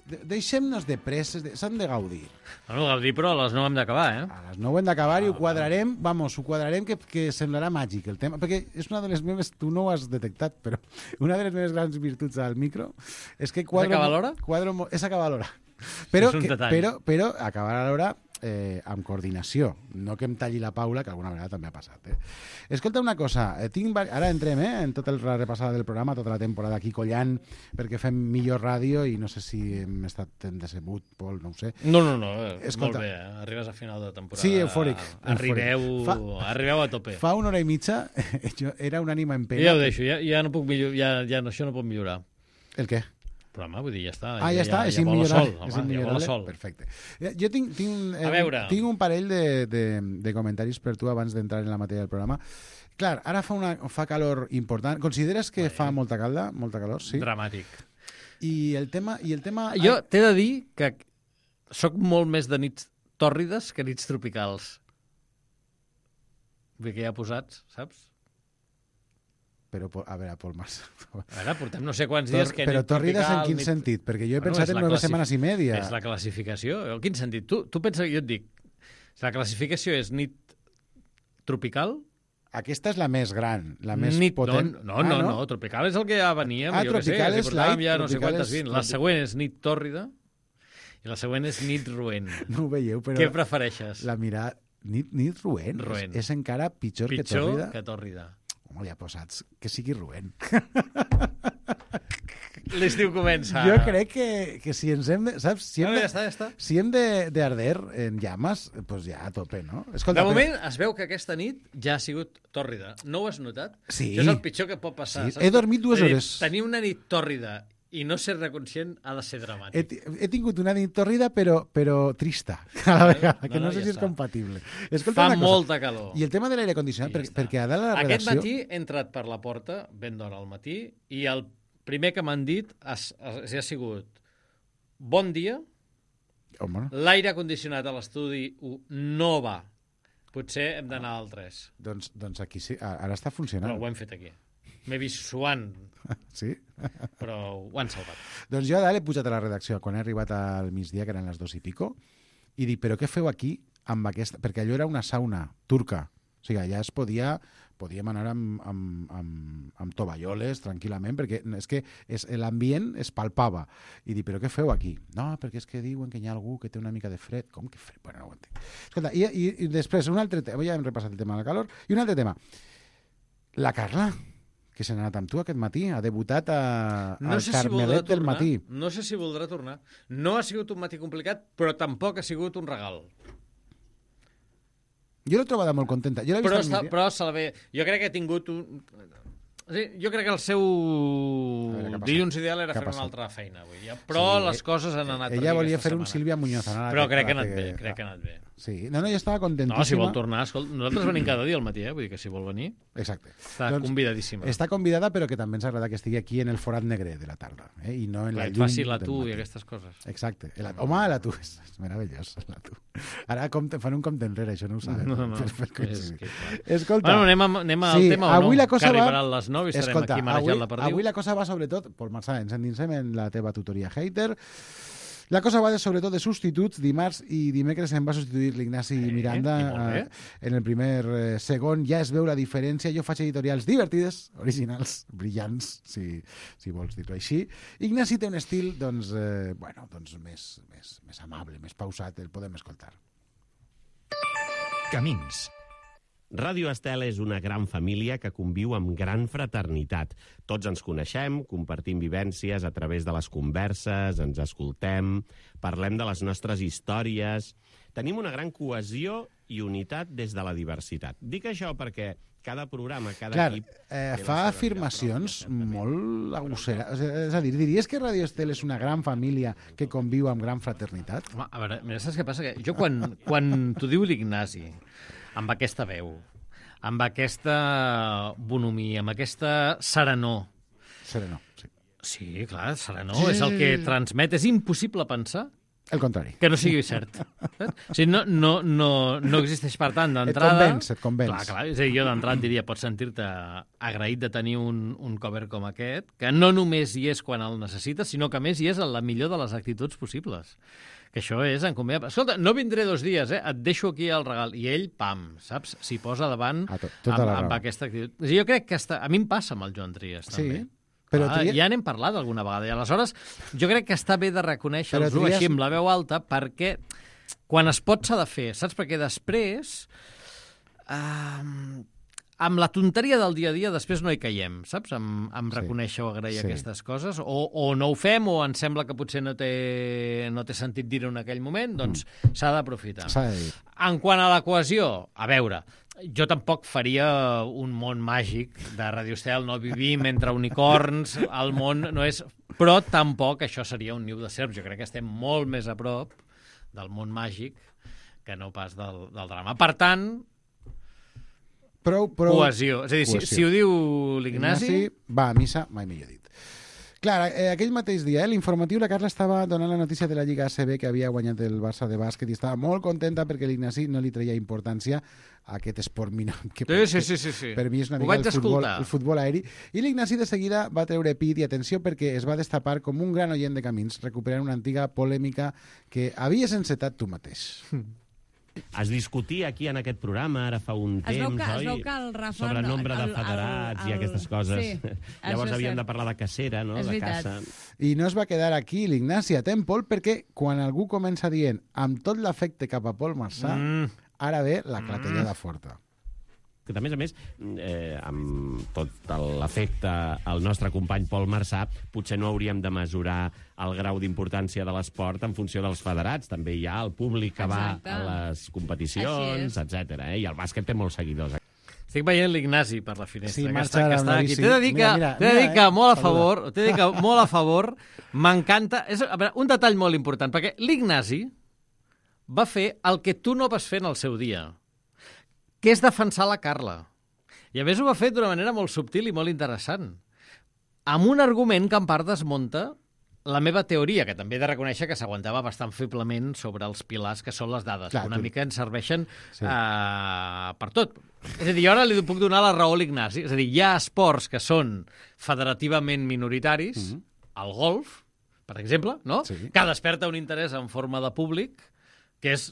S2: de, deixem-nos de presses, s'han de gaudir.
S8: Bueno, gaudir, però a les nou hem d'acabar, eh?
S2: A les nou hem d'acabar i ho quadrarem, vamos, ho quadrarem que, que semblarà màgic el tema, perquè és una de les meves, tu no ho has detectat, però una de les meves grans virtuts al micro és que quadro...
S8: És acabar a l'hora?
S2: Quadro, és acabar a l'hora. Però,
S8: És un
S2: que,
S8: detall.
S2: però, però acabar a l'hora eh, amb coordinació, no que em talli la Paula, que alguna vegada també ha passat. Eh? Escolta una cosa, eh, tinc, ara entrem eh, en tota la repassada del programa, tota la temporada aquí collant, perquè fem millor ràdio i no sé si hem estat en decebut, Pol, no ho sé.
S8: No, no, no, eh,
S2: Escolta.
S8: molt bé, eh? Arribes a final de temporada.
S2: Sí, eufòric.
S8: Arribeu,
S2: Fa-
S8: arribeu a tope.
S2: Fa una hora i mitja, jo era un ànima en pena.
S8: Ja ho deixo, ja, ja no puc millorar, ja, ja, no, això no pot millorar.
S2: El què?
S8: Però, home, vull dir, ja està.
S2: Ah, ja, està, és
S8: vola
S2: immillorable.
S8: sol,
S2: És
S8: home, ja vola
S2: immillorable.
S8: sol.
S2: Perfecte. Eh, Jo tinc, tinc, eh,
S8: A veure.
S2: tinc un parell de, de, de comentaris per tu abans d'entrar en la matèria del programa. Clar, ara fa, una, fa calor important. Consideres que fa molta calda? Molta calor, sí?
S8: Dramàtic.
S2: I el tema... I el tema...
S8: Jo t'he de dir que sóc molt més de nits tòrrides que nits tropicals. Vull dir que ja posats, saps?
S2: Però, a veure, Pol Mas...
S8: A veure, portem no sé quants dies que
S2: Però
S8: nit
S2: torrides
S8: tropical,
S2: en quin
S8: nit...
S2: sentit? Perquè jo he
S8: Bueno,
S2: pensat
S8: és
S2: en
S8: la
S2: nueve
S8: classif-
S2: setmanes i media.
S8: És la classificació. En quin sentit? Tu, tu pensa que jo et dic, la classificació és nit tropical?
S2: Aquesta és la més gran, la més
S8: nit,
S2: potent.
S8: No, no,
S2: Ah,
S8: no, no, tropical és el que ja veníem.
S2: Ah,
S8: jo què sé,
S2: tropical
S8: si
S2: és
S8: portàvem
S2: light,
S8: ja no sé
S2: tropical
S8: quantes
S2: és-
S8: vint. La següent és nit tòrrida i la següent és nit roent.
S2: No ho veieu, però...
S8: Què prefereixes?
S2: La mirada... Nit, nit roent.
S8: Roent.
S2: És, és encara pitjor, que
S8: Pitjor
S2: tòrrida.
S8: que tòrrida.
S2: Home, li ha posat que sigui roent.
S8: L'estiu comença.
S2: Jo crec que, que si ens hem de... Saps? Si hem
S8: No,
S2: de,
S8: ja està, ja està.
S2: si hem de, de arder en llames, doncs pues ja a tope, no? Escolta,
S8: De moment es veu que aquesta nit ja ha sigut tòrrida. No ho has notat?
S2: Sí.
S8: Això és el pitjor que pot passar.
S2: Sí,
S8: saps?
S2: he dormit dues
S8: És a dir,
S2: hores.
S8: Tenir una nit tòrrida i no ser-ne conscient ha de ser dramàtic.
S2: He, ti- he tingut una nit torrida, però, però trista, a la vegada, que
S8: no,
S2: no,
S8: no,
S2: sé
S8: ja
S2: si és
S8: està.
S2: compatible. Escolta
S8: Fa
S2: una cosa.
S8: molta calor.
S2: I el tema de l'aire condicionat,
S8: I ja
S2: perquè,
S8: està.
S2: perquè a dalt a la
S8: Aquest
S2: redacció...
S8: matí he entrat per la porta, ben d'hora al matí, i el primer que m'han dit ha, ha, ha sigut bon dia,
S2: Home,
S8: l'aire condicionat a l'estudi u no va. Potser hem d'anar al tres.
S2: doncs, doncs aquí sí, ara està
S8: Però
S2: funcionant.
S8: ho hem fet aquí. M'he vist suant,
S2: Sí?
S8: però ho han salvat.
S2: Doncs jo a dalt he pujat a la redacció quan he arribat al migdia, que eren les dos i pico, i dic, però què feu aquí amb aquesta... Perquè allò era una sauna turca. O sigui, allà es podia... Podíem anar amb, amb, amb, amb tovalloles tranquil·lament, perquè és que és, l'ambient es palpava. I dic, però què feu aquí? No, perquè és que diuen que hi ha algú que té una mica de fred. Com que fred? Bueno, no ho entenc. Escolta, i, i, i després, un altre tema, ja hem repassat el tema de la calor, i un altre tema. La Carla, que se n'ha anat amb tu aquest matí, ha debutat a,
S8: No
S2: al
S8: sé si voldrà
S2: Carmelet del
S8: tornar.
S2: matí.
S8: No sé si voldrà tornar. No ha sigut un matí complicat, però tampoc ha sigut un regal.
S2: Jo l'he trobada molt contenta. Jo l'he vist
S8: Però,
S2: al
S8: està,
S2: migdia.
S8: però se la ve... Jo crec que ha tingut un... Sí, jo crec que el seu
S2: veure, què ha passat?
S8: dilluns ideal era
S2: Què ha
S8: fer una
S2: passat?
S8: altra feina avui. Ja. Però
S2: Sí,
S8: les coses han anat per
S2: Ella
S8: aquí
S2: volia
S8: aquesta
S2: fer un
S8: setmana.
S2: Sílvia Muñoz. Anara,
S8: Però crec que ha
S2: la
S8: anat bé, crec que ha anat bé.
S2: Sí, no, no, jo estava contentíssima.
S8: No, si vol tornar, escolta, nosaltres venim cada dia al matí, eh? Vull dir que si vol venir,
S2: Exacte.
S8: està doncs, convidadíssima.
S2: Està convidada, però que també ens agrada que estigui aquí en el forat negre de la tarda, eh? I no en la
S8: Que et
S2: llum
S8: faci la
S2: del
S8: tu
S2: matí.
S8: i aquestes coses.
S2: Exacte. El, home, la tu és, és meravellós, la tu. Ara compte, fan un compte enrere, això no ho sabem.
S8: No, no,
S2: Per, per
S8: és
S2: coincidir.
S8: que, clar.
S2: Escolta,
S8: Bueno, anem, a, anem al
S2: sí,
S8: tema o
S2: avui
S8: no?
S2: la cosa
S8: que
S2: va-
S8: arribaran les nou i estarem
S2: escolta,
S8: aquí marejant
S2: avui,
S8: la perdiu.
S2: avui la cosa va sobretot, Pol Marçà, ens endinsem en la teva tutoria hater. La cosa va de, sobretot de substituts. Dimarts i dimecres em va substituir l'Ignasi
S8: Eh,
S2: Miranda.
S8: i molt bé.
S2: eh, en el primer eh, segon ja es veu la diferència. Jo faig editorials divertides, originals, brillants, si, si vols dir-ho així. Ignasi té un estil doncs, eh, bueno, doncs més, més, més amable, més pausat, el podem escoltar.
S1: Camins.
S9: Ràdio Estel és una gran família que conviu amb gran fraternitat. Tots ens coneixem, compartim vivències a través de les converses, ens escoltem, parlem de les nostres històries. Tenim una gran cohesió i unitat des de la diversitat. Dic això perquè cada programa, cada
S2: Clar,
S9: equip...
S2: eh,
S9: té la
S2: fa
S9: seva
S2: afirmacions
S9: vida pròpia,
S2: molt agosseres. És a dir, diries que Ràdio Estel és una gran família que conviu amb gran fraternitat?
S8: Home, a veure, mira, saps què passa? Que jo quan, quan t'ho diu l'Ignasi, amb aquesta veu, amb aquesta bonhomia, amb aquesta serenor...
S2: Serenor, sí.
S8: Sí, clar, serenor, és el que transmet. És impossible pensar
S2: El contrari.
S8: que no sigui cert. O sigui, no, no, no, no existeix, per tant,
S2: Et
S8: d'entrada...
S2: convenç, et convenç.
S8: Clar, clar, és a dir, jo d'entrada et diria, pots sentir-te agraït de tenir un, un cover com aquest, que no només hi és quan el necessites, sinó que a més hi és en la millor de les actituds possibles. Que això és encomiable. Escolta, no vindré dos dies, eh? Et deixo aquí el regal. I ell, pam, saps? S'hi posa davant
S2: Ah, to- tota
S8: amb,
S2: la
S8: amb
S2: raó.
S8: aquesta actitud. És a dir, jo crec que està... a mi em passa amb el Joan Trias,
S2: Sí,
S8: també.
S2: però
S8: ah,
S2: Trias-
S8: ja n'hem parlat alguna vegada. I aleshores, jo crec que està bé de reconèixer-los
S2: Però Trias-
S8: així amb la veu alta, perquè quan es pot s'ha de fer, saps? Perquè després... Uh, amb la tonteria del dia a dia després no hi caiem, saps? Amb, amb
S2: Sí.
S8: reconèixer o agrair
S2: Sí.
S8: aquestes coses, o, o no ho fem, o ens sembla que potser no té, no té sentit dir-ho en aquell moment, doncs s'ha d'aprofitar.
S2: S'ha de dir.
S8: En quant a la cohesió, a veure, jo tampoc faria un món màgic de Radio Estel, no vivim entre unicorns, el món no és... Però tampoc això seria un niu de serps. Jo crec que estem molt més a prop del món màgic que no pas del, del drama. Per tant,
S2: Prou, prou...
S8: cohesió. És a dir, si,
S2: cohesió.
S8: si ho diu l'Ignasi...
S2: Ignasi va a missa, mai millor dit. Clar, eh, aquell mateix dia, eh, l'informatiu, la Carla estava donant la notícia de la Lliga A C B que havia guanyat el Barça de bàsquet i estava molt contenta perquè l'Ignasi no li treia importància a aquest esport minut. Que
S8: Sí, sí, sí, sí, sí.
S2: Per mi és una
S8: Ho
S2: mica
S8: vaig
S2: el futbol,
S8: escoltar.
S2: el futbol aeri. I l'Ignasi de seguida va treure pit i atenció perquè es va destapar com un gran oient de camins, recuperant una antiga polèmica que havies encetat tu mateix.
S9: Es discutia aquí en aquest programa ara fa un
S10: Es
S9: temps,
S10: veu que- es
S9: oi?
S10: veu que el Rafa
S9: Sobre
S10: no-
S9: nombre de
S10: el- el-
S9: federats
S10: el-
S9: i aquestes coses.
S10: sí,
S9: Llavors
S10: això és
S9: havíem
S10: cert.
S9: de parlar de cacera, no?
S10: És
S9: de
S10: veritat.
S9: caça.
S2: I no es va quedar aquí l'Ignasi a Tempol perquè quan algú comença dient amb tot l'afecte cap a Pol Marçà,
S8: Mm.
S2: ara ve la clatellada forta.
S9: Que a més a més, eh, amb tot l'efecte al nostre company Pol Marçà, potser no hauríem de mesurar el grau d'importància de l'esport en funció dels federats. També hi ha el públic que
S10: Exacte.
S9: va a les
S10: Així
S9: competicions,
S10: és.
S9: etcètera. Eh? I el bàsquet té molts seguidors.
S8: Estic veient l'Ignasi per la finestra,
S2: Sí,
S8: que,
S2: marxa
S8: està, que
S2: ara
S8: està
S2: amb
S8: aquí.
S2: la bici.
S8: T'he de dir que,
S2: Mira, mira,
S8: t'he de dir
S2: mira,
S8: que
S2: eh?
S8: molt a
S2: Saluda.
S8: favor, t'he de dir que molt a favor, m'encanta... És, a veure, un detall molt important, perquè l'Ignasi va fer el que tu no vas fer en el seu dia, que és defensar la Carla. I a més ho va fer d'una manera molt subtil i molt interessant, amb un argument que en part desmunta la meva teoria, que també he de reconèixer que s'aguantava bastant feblement sobre els pilars que són les dades,
S2: Clar,
S8: que una
S2: tu...
S8: mica ens serveixen
S2: Sí.
S8: uh, per tot. És a dir, jo ara li puc donar la raó a l'Ignasi. És a dir, hi ha esports que són federativament minoritaris,
S2: Mhm.
S8: el golf, per exemple, no?
S2: Sí.
S8: Que desperta un interès en forma de públic que és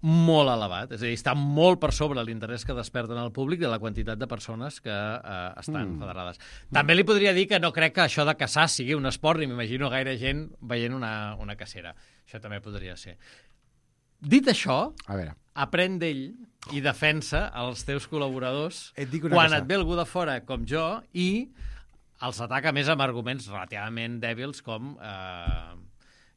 S8: molt elevat. És a dir, està molt per sobre l'interès que desperten al públic de la quantitat de persones que eh, estan
S2: Mm.
S8: federades. També li podria dir que no crec que això de caçar sigui un esport, ni m'imagino gaire gent veient una, una cacera. Això també podria ser. Dit això,
S2: A veure,
S8: aprèn d'ell i defensa els teus col·laboradors
S2: et dic una
S8: quan
S2: cosa.
S8: et ve algú de fora com jo i els ataca més amb arguments relativament dèbils com eh,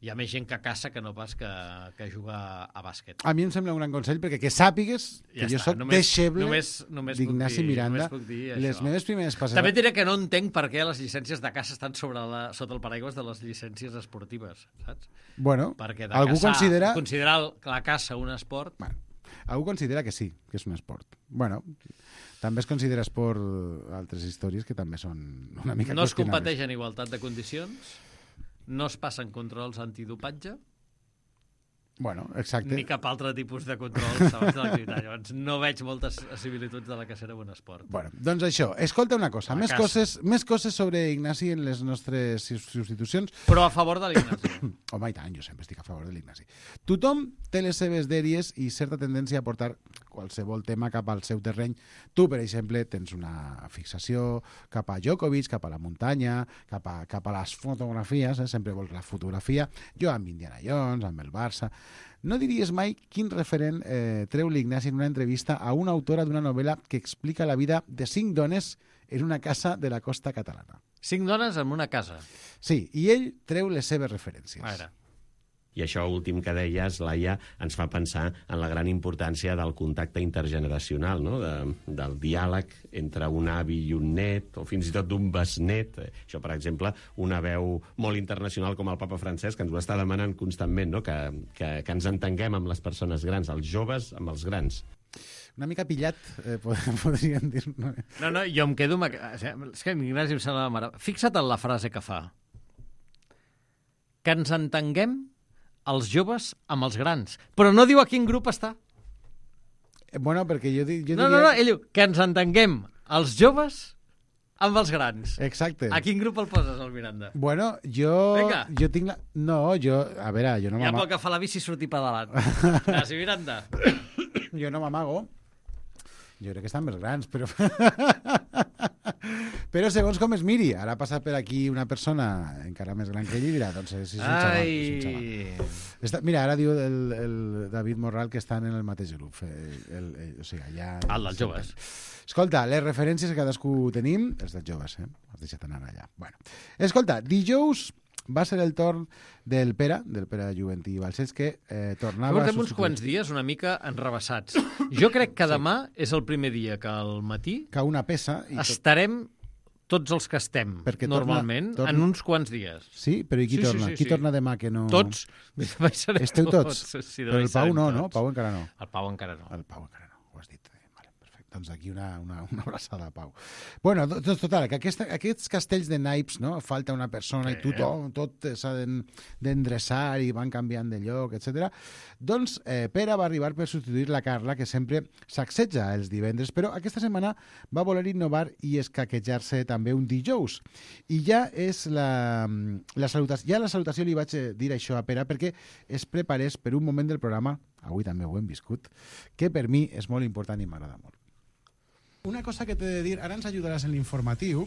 S8: hi ha més gent que caça que no pas que, que juga a bàsquet.
S2: A mi em sembla un gran consell, perquè que sàpigues que
S8: Ja
S2: jo
S8: està,
S2: soc
S8: només-
S2: deixeble
S8: només- només puc
S2: d'Ignasi
S8: dir-
S2: Miranda.
S8: només puc dir
S2: Les
S8: això.
S2: meves primeres passes...
S8: També et diré que no entenc per què les llicències de caça estan sobre la, sota el paraigües de les llicències esportives, saps?
S2: Bueno,
S8: Perquè de
S2: algú
S8: caçar,
S2: considera...
S8: considerar el- la caça un esport...
S2: Bueno, algú considera que sí, que és un esport. Bueno, també es considera esport altres històries que també són una mica
S8: No es
S2: qüestionables.
S8: competeix en igualtat de condicions, no es passen controls antidopatge,
S2: Bueno, exacte.
S8: ni cap altre tipus de controls abans de l'activitat. Llavors, no veig moltes similituds de la cacera amb un esport.
S2: Bueno, doncs això, escolta una cosa,
S8: La
S2: més
S8: caça.
S2: coses, més coses sobre Ignasi en les nostres substitucions.
S8: Però a favor de l'Ignasi.
S2: Home, i tant, jo sempre estic a favor de l'Ignasi. Tothom té les seves dèries i certa tendència a portar qualsevol tema cap al seu terreny. Tu, per exemple, tens una fixació cap a Djokovic, cap a la muntanya, cap a, cap a les fotografies, eh? Sempre vols la fotografia. Jo amb Indiana Jones, amb el Barça... No diries mai quin referent eh, treu l'Ignasi en una entrevista a una autora d'una novel·la que explica la vida de cinc dones en una casa de la costa catalana.
S8: Cinc dones en una casa.
S2: Sí, i ell treu les seves referències.
S8: A veure.
S9: I això últim que deies, Laia, ens fa pensar en la gran importància del contacte intergeneracional, no? de, del diàleg entre un avi i un net, o fins i tot d'un besnet. Això, per exemple, una veu molt internacional com el papa Francesc, que ens ho està demanant constantment, no? que, que, que ens entenguem amb les persones grans, els joves amb els grans.
S2: Una mica pillat, eh, podríem dir. No?
S8: No, no, jo em quedo... Amb... És que l'Ignasi em sembla mare... Fixa't en la frase que fa. Que ens entenguem els joves amb els grans. Però no diu a quin grup està.
S2: Bueno, perquè jo, jo diria...
S8: No, no, no, ell diu que ens entenguem els joves amb els grans.
S2: Exacte.
S8: A quin grup el poses, el Miranda?
S2: Bueno, jo...
S8: Vinga.
S2: Jo tinc la... No, jo... A veure, jo no
S8: Ja
S2: m'amago.
S8: pot agafar la bici i sortir pedalant. Ignasi Miranda.
S2: Jo no m'amago. Jo crec que estan més grans, però... però segons com es miri. Ara ha passat per aquí una persona encara més gran que ell i dirà, doncs és, és un xaval. És un xaval.
S8: Ai...
S2: Està, mira, ara diu el, el David Morral que estan en el mateix grup. El, el, el, o sigui, allà...
S8: El dels joves.
S2: Escolta, les referències que cadascú tenim, els dels joves, eh? Has deixat anar allà. Bueno. Escolta, dijous va ser el torn del Pere, del Pere Juventí Balcells, que eh, tornava...
S8: Portem
S2: a
S8: uns quants dies una mica enrebaçats. Jo crec que demà és el primer dia que al matí
S2: que una peça... I tot...
S8: estarem tots els que estem
S2: Perquè torna-
S8: normalment
S2: torna-
S8: en uns quants dies.
S2: Sí? Però i qui
S8: Sí, sí,
S2: torna?
S8: sí,
S2: qui
S8: sí.
S2: torna demà que no...
S8: Tots. Demà hi serem
S2: Esteu tots?
S8: Sí,
S2: Però
S8: demà hi
S2: el Pau
S8: serem
S2: no,
S8: tots.
S2: no? Pau encara no.
S8: El Pau encara no.
S2: El Pau encara no, ho has dit. Eh, Vale, perfecte. Doncs aquí una, una, una abraçada a Pau. Bueno, doncs total, que aquesta, aquests castells de naips, no? Falta una persona i tothom, tot s'ha d'en- d'endreçar i van canviant de lloc, etcètera. Doncs eh, Pere va arribar per substituir la Carla, que sempre sacseja els divendres, però aquesta setmana va voler innovar i escaquejar-se també un dijous. I ja és la, la salutació, ja la salutació li vaig dir això a Pere perquè es preparés per un moment del programa, avui també ho hem viscut, que per mi és molt important i m'agrada molt. Una cosa que t'he de dir, ara ens ajudaràs en l'informatiu,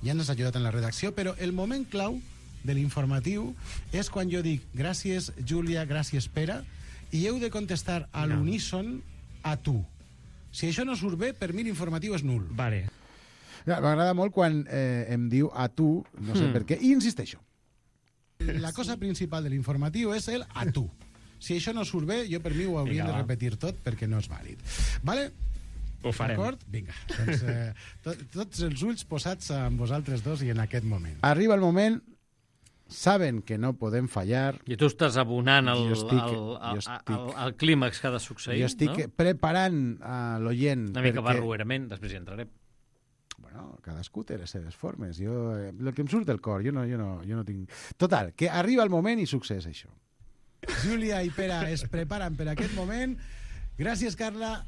S2: ja ens has ajudat en la redacció, però el moment clau de l'informatiu és quan jo dic gràcies Júlia, gràcies Pere, i heu de contestar a l'uníson a tu. Si això no surt bé, per mi l'informatiu és nul.
S10: Vale.
S2: M'agrada molt quan eh, em diu a tu, no sé
S8: Hmm.
S2: per què, i insisteixo. La cosa principal de l'informatiu és el a tu. Si això no surt bé, jo per mi ho hauríem
S10: Vinga,
S2: de
S10: va.
S2: repetir tot perquè no és vàlid. Vale?
S10: Ho farem.
S2: D'acord? Vinga. Doncs, eh, to, tots els ulls posats amb vosaltres dos i en aquest moment. Arriba el moment, saben que no podem fallar,
S8: I tu estàs abonant el,
S2: Jo estic-
S8: el,
S2: jo
S8: el,
S2: estic-
S8: el, el clímax que ha de succeir,
S2: jo estic
S8: no?
S2: preparant a l'oient
S8: Una mica
S2: perquè...
S8: barruerament, després hi entrarem.
S2: Bueno, cadascú té les seves formes. Jo, eh, el que em surt del cor, jo no, jo no, jo no tinc... Total, que arriba el moment i succeeix això. Júlia i Pere es preparen per aquest moment. Gràcies, Carla.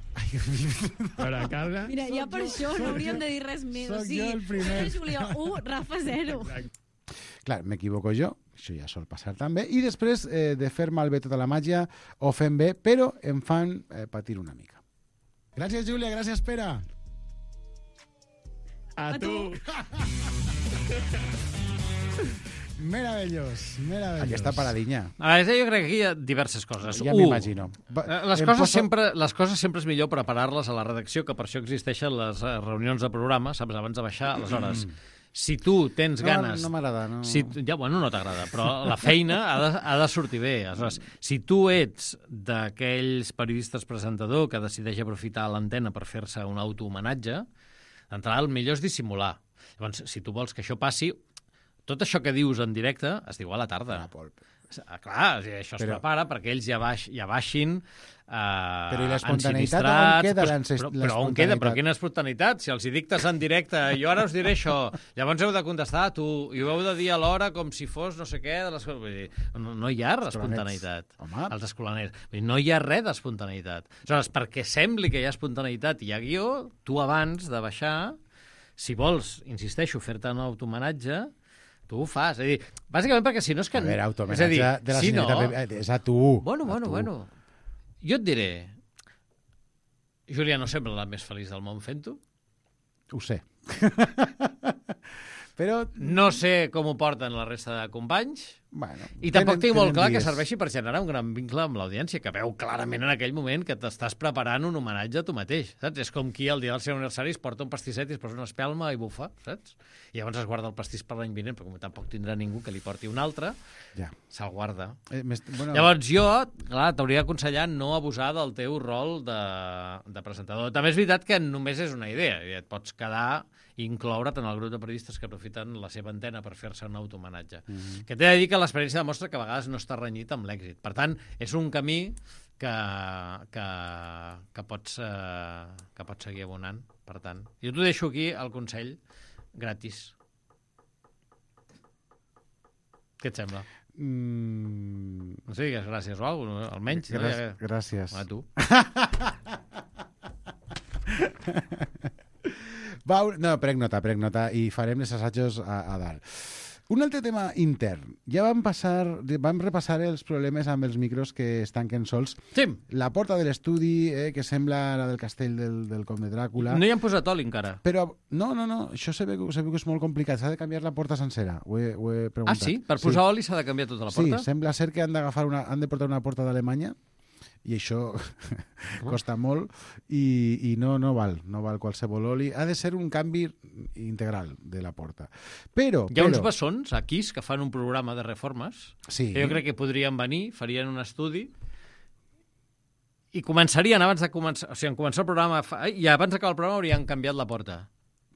S9: Per a Carla...
S10: Mira, ja per això no hauríem de dir res més.
S2: Soc
S10: O sigui,
S2: jo el primer.
S10: Júlia u, Rafa zero.
S2: Clar, m'equivoco jo, això ja sol passar també, i després eh, de fer malbé tota la màgia, ho fem bé, però em fan eh, patir una mica. Gràcies, Júlia, gràcies, Pere.
S9: A tu!
S2: Meravellós, meravellós. Aquesta paradinya.
S8: A veure, jo crec que aquí hi ha diverses coses.
S2: Ja
S8: U,
S2: m'imagino.
S8: eh, Les
S2: Em
S8: coses,
S2: poso-
S8: sempre, les coses sempre és millor preparar-les a la redacció, que per això existeixen les eh, reunions de programa, saps, abans de baixar. Aleshores, si tu tens
S2: No,
S8: ganes...
S2: no m'agrada, no.
S8: Si, tu- ja, bueno, no t'agrada, però la feina ha de, ha de sortir bé. Aleshores, si tu ets d'aquells periodistes presentador que decideix aprofitar l'antena per fer-se un autohomenatge, d'entrada el millor és dissimular. Llavors, si tu vols que això passi, tot això que dius en directe es diu a la tarda. Ah, clar, això es
S2: Però-
S8: prepara perquè ells ja, baix, ja baixin eh,
S2: Però i l'espontaneïtat,
S8: ensinistrats,
S2: on queda
S8: però-
S2: l'enses-
S8: però, però on queda? Però quina espontaneïtat? Si els hi dictes en directe, jo ara us diré això, llavors heu de contestar tu, i ho heu de dir a l'hora com si fos no sé què, de les coses. Vull dir, no, no hi ha espontaneïtat.
S2: Home.
S8: Els escolaners. Vull dir, no hi ha res d'espontaneïtat. Aleshores, perquè sembli que hi ha espontaneïtat i hi ha guió, tu abans de baixar, si vols, insisteixo, fer-te un autohomenatge, tu ho fas. És a dir, bàsicament perquè si no és que...
S2: A veure,
S8: és a
S2: autohomenatge
S8: dir,
S2: de la
S8: si no,
S2: senyorita Pepe, és a tu.
S8: Bueno,
S2: a
S8: bueno,
S2: tu.
S8: bueno. Jo et diré... Júlia no sembla la més feliç del món fent-ho.
S2: Ho sé. Però...
S8: No sé com ho porten la resta de companys.
S2: Bueno,
S8: I tampoc
S2: tenen-
S8: tinc molt
S2: tenen
S8: clar que
S2: dies.
S8: serveixi per generar un gran vincle amb l'audiència, que veu clarament en aquell moment que t'estàs preparant un homenatge a tu mateix, saps? És com qui el dia del seu aniversari es porta un pastisset i es posa una espelma i bufa, saps? I llavors es guarda el pastís per l'any vinent, però com tampoc tindrà ningú que li porti un altre,
S2: Ja.
S8: se'l guarda.
S2: Eh, més- bueno,
S8: Llavors jo, clar, t'hauria d'aconsellar no abusar del teu rol de, de presentador. També és veritat que només és una idea, i et pots quedar i incloure't en el grup de periodistes que aprofiten la seva antena per fer-se un autohomenatge. Mm -hmm. Que t'he de dir que l'experiència demostra que a vegades no està renyit amb l'èxit. Per tant, és un camí que, que, que, pots, eh, que pots seguir abonant. Per tant, jo t'ho deixo aquí, el consell, gratis. Què et sembla?
S2: Mm...
S8: No sé, digues gràcies o alguna cosa, almenys.
S2: Gràcies.
S8: No? Ja...
S2: Gràcies.
S8: A tu.
S2: Va, no, prenc nota, prenc nota i farem els assajos a, a dalt. Un altre tema intern. Ja vam, passar, vam repassar els problemes amb els micros que es tanquen sols.
S8: Sí.
S2: La porta de l'estudi, eh, que sembla la del castell del, del Comte Dràcula.
S8: No hi han posat oli encara.
S2: Però, no, no, no, això se veu, se veu que és molt complicat. S'ha de canviar la porta sencera. Ho he, ho he
S8: Ah,
S2: preguntat.
S8: sí? Per posar oli s'ha de canviar tota la porta?
S2: Sí, sembla ser que han d'agafar una, han de portar una porta d'Alemanya i això costa molt i, i no, no val, no val qualsevol oli. Ha de ser un canvi integral de la porta. Però,
S8: Hi ha
S2: però,
S8: uns bessons aquí que fan un programa de reformes
S2: Sí.
S8: que jo crec que podrien venir, farien un estudi i començarien abans de començar, o sigui, en començar el programa fa- i abans d'acabar el programa haurien canviat la porta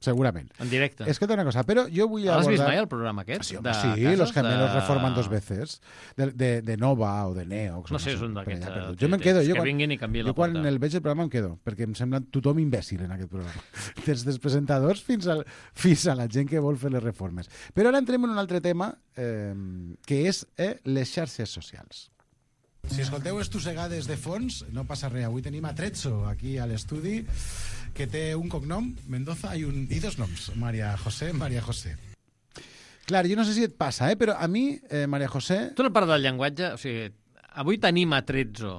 S2: segurament.
S8: en directe.
S2: Escolta una cosa, però jo vull
S8: L'has vist
S2: abordar...
S8: mai el programa aquest?
S2: Sí, home,
S8: de
S2: sí,
S8: cases,
S2: los que me los
S8: de-
S2: reforman dos veces. De, de, de Nova o de Neo.
S8: No sé, és un
S2: per
S8: d'aquests,
S2: allà,
S8: eh,
S2: perdut. Jo me'n quedo.
S8: que
S2: Jo quan,
S8: vinguin i canviïn la
S2: jo quan
S8: porta.
S2: el veig el programa em quedo, perquè em sembla tothom imbècil en aquest programa. Des dels presentadors fins, al, fins a la gent que vol fer les reformes. Però ara entrem en un altre tema, eh, que és eh, les xarxes socials. Si escolteu estossegades de fons, no passa res. Avui tenim a Trezzo aquí a l'estudi, que té un cognom, Mendoza, i, un, i dos noms, María José, María José. Clar, jo no sé si et passa, eh? Però a mi, eh, María José...
S8: Tu no part del llenguatge, o sigui, avui tenim a Trezzo.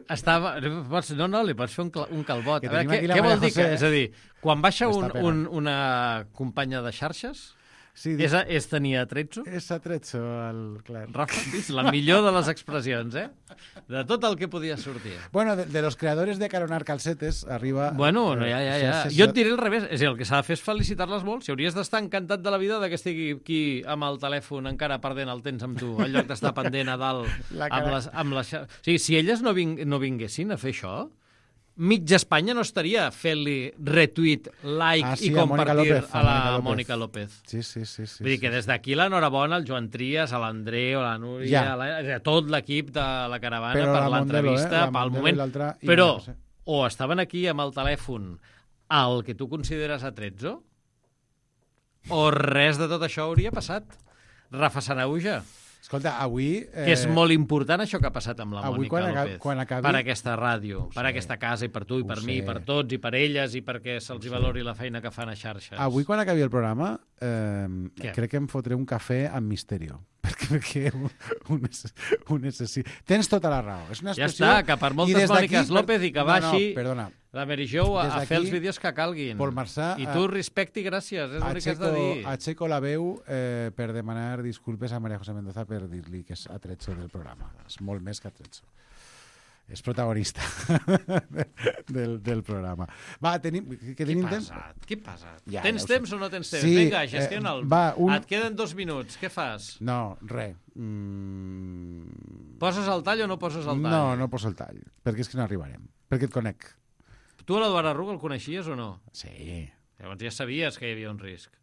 S8: Estava... Pots, no, no, li pots fer un, cal, un calbot.
S2: Que
S8: A veure,
S2: tenim
S8: què,
S2: aquí la
S8: què vol
S2: María
S8: dir? Que,
S2: José.
S8: és a dir, quan baixa un,
S2: Està pegant.
S8: un, una companya de xarxes,
S2: Sí,
S8: és, a, és tenir a Trezzo?
S2: És a Trezzo, el... clar.
S8: Rafa, és la millor de les expressions, eh? De tot el que podia sortir.
S2: Bueno, de, de los creadores de Caronar Calcetes arriba...
S8: Bueno, no, ja, ja, ja.
S2: xarxes-
S8: Jo et diré al revés. És a dir, el que s'ha de fer és felicitar-les molt. Si hauries d'estar encantat de la vida de que estigui aquí amb el telèfon encara perdent el temps amb tu, en lloc d'estar pendent a dalt
S2: La
S8: amb
S2: cara-
S8: les, amb les... xa- O sigui, si elles no, ving, no vinguessin a fer això, mitja Espanya no estaria fent-li retweet, like
S2: Ah, sí,
S8: i
S2: a Mònica
S8: compartir
S2: López,
S8: a
S2: a
S8: la
S2: Mònica López.
S8: Mònica López.
S2: Sí, sí, sí. sí
S8: Vull dir
S2: sí.
S8: que des d'aquí l'enhorabona al Joan Trias, a l'Andreu, a la Núria,
S2: Ja.
S8: a, la, a tot l'equip de la caravana
S2: Però
S8: per
S2: la Mondelo,
S8: l'entrevista,
S2: eh? La
S8: pel
S2: Mondelo i
S8: moment.
S2: l'altra i
S8: Però
S2: no sé.
S8: o estaven aquí amb el telèfon al que tu consideres atrezzo, o res de tot això hauria passat. Rafa Sanahuja.
S2: Escolta, avui...
S8: Eh... Que és molt important això que ha passat amb la
S2: avui,
S8: Mònica
S2: quan
S8: López.
S2: Acabi, quan acabi...
S8: Per aquesta ràdio, per aquesta casa, i per tu, i per mi, i per tots, i per elles, i perquè se'ls valori la feina que fan a xarxes.
S2: Avui, quan acabi el programa, eh,
S8: Què?
S2: crec que em fotré un cafè amb Misterio. Perquè, perquè ho, ho, ho necessito. Tens tota la raó. És una
S8: Ja
S2: expressió...
S8: està, que per moltes Mòniques López i que baixi
S2: no, no, perdona.
S8: la Mary Jo a,
S2: Des
S8: a fer
S2: d'aquí,
S8: els vídeos que calguin.
S2: Pol Marçà,
S8: I tu respecte i gràcies, és l'únic que has de dir.
S2: Aixeco la veu eh, per demanar disculpes a María José Mendoza per dir-li que és atrezzo del programa. És molt més que atrezzo. És protagonista del, del programa. Va, tenim... Que
S8: Què
S2: tenim
S8: passa?
S2: temps?
S8: Què passa?
S2: Ja,
S8: tens
S2: ja ho
S8: temps
S2: sé.
S8: o no tens temps?
S2: Sí,
S8: Vinga, gestiona'l.
S2: eh, va, un-
S8: Et queden dos minuts. Què fas?
S2: No, res. Mm...
S8: Poses el tall o no poses el tall?
S2: No, no poso el tall, perquè és que no arribarem. Perquè et conec.
S8: Tu a l'Eduard Arruga el coneixies o no?
S2: Sí.
S8: Llavors ja sabies que hi havia un risc.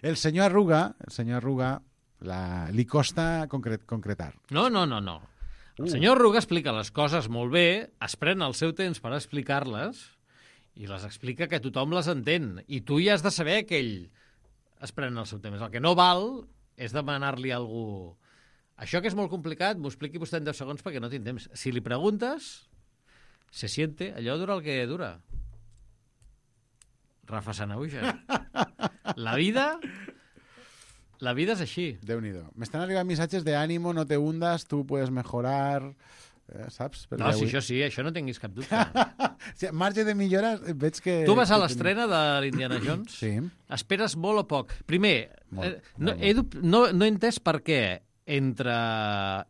S2: El senyor Arruga, el senyor Arruga, la, li costa concret, concretar.
S8: No, no, no, no. El
S2: Uh.
S8: senyor Arruga explica les coses molt bé, es pren el seu temps per explicar-les i les explica que tothom les entén. I tu ja has de saber que ell es pren el seu temps. El que no val és demanar-li a algú... Això que és molt complicat, m'ho expliqui vostè en deu segons perquè no tinc temps. Si li preguntes, se siente, allò dura el que dura. Rafa Sanahuja. La vida... La vida és així.
S2: Déu-n'hi-do. M'estan arribant missatges de ànimo, no te hundas, tu puedes mejorar... Eh, saps?
S8: No, si això sí, això no tinguis cap dubte.
S2: Sí, marge de millora, veig que...
S8: Tu vas a l'estrena de l'Indiana Jones?
S2: Sí.
S8: Esperes molt o poc? Primer,
S2: Molt,
S8: eh, no,
S2: molt,
S8: he, dub- no, no he entès per què entre,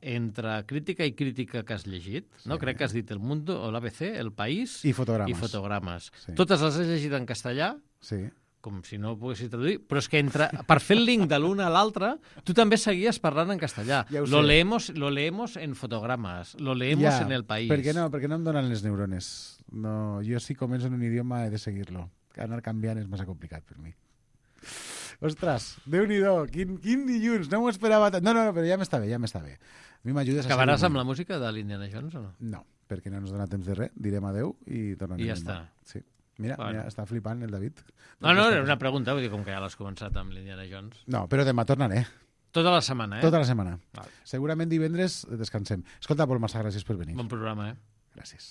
S8: entre crítica i crítica que has llegit, sí. no? Crec que has dit El Mundo, o l'A B C, El País...
S2: I fotogrames.
S8: I fotogrames.
S2: Sí.
S8: Totes les has llegit en castellà?
S2: Sí.
S8: Com si no ho poguessis traduir, però és que entre, per fer el link de l'una a l'altra, tu també seguies parlant en castellà.
S2: Ja ho
S8: lo,
S2: sé.
S8: leemos, lo leemos en fotogrames, lo leemos
S2: Ja,
S8: en el país.
S2: Per què no? Perquè no em donen les neurones. No, jo si començo en un idioma he de seguir-lo. Anar canviant és massa complicat per mi. Ostres, Déu-n'hi-do, quin, quin dilluns, no m'ho esperava tant. No, no, no, però ja m'està bé, ja m'està bé. A mi m'ajudes a
S8: Acabaràs
S2: seguir-me.
S8: amb la música de l'Indiana Jones o no?
S2: No, perquè no ens dona temps de res. Direm adeu i tornem.
S8: I ja
S2: demà.
S8: està.
S2: Sí. Mira,
S8: Bueno.
S2: mira, està flipant el David.
S8: No, no, era una pregunta, vull dir, com que ja l'has començat amb l'Indiana Jones.
S2: No, però demà tornaré.
S8: Tota la setmana, eh?
S2: Tota la setmana.
S8: Val.
S2: Segurament divendres descansem. Escolta, Pol Marçà, gràcies per venir.
S8: Bon programa, eh?
S2: Gràcies.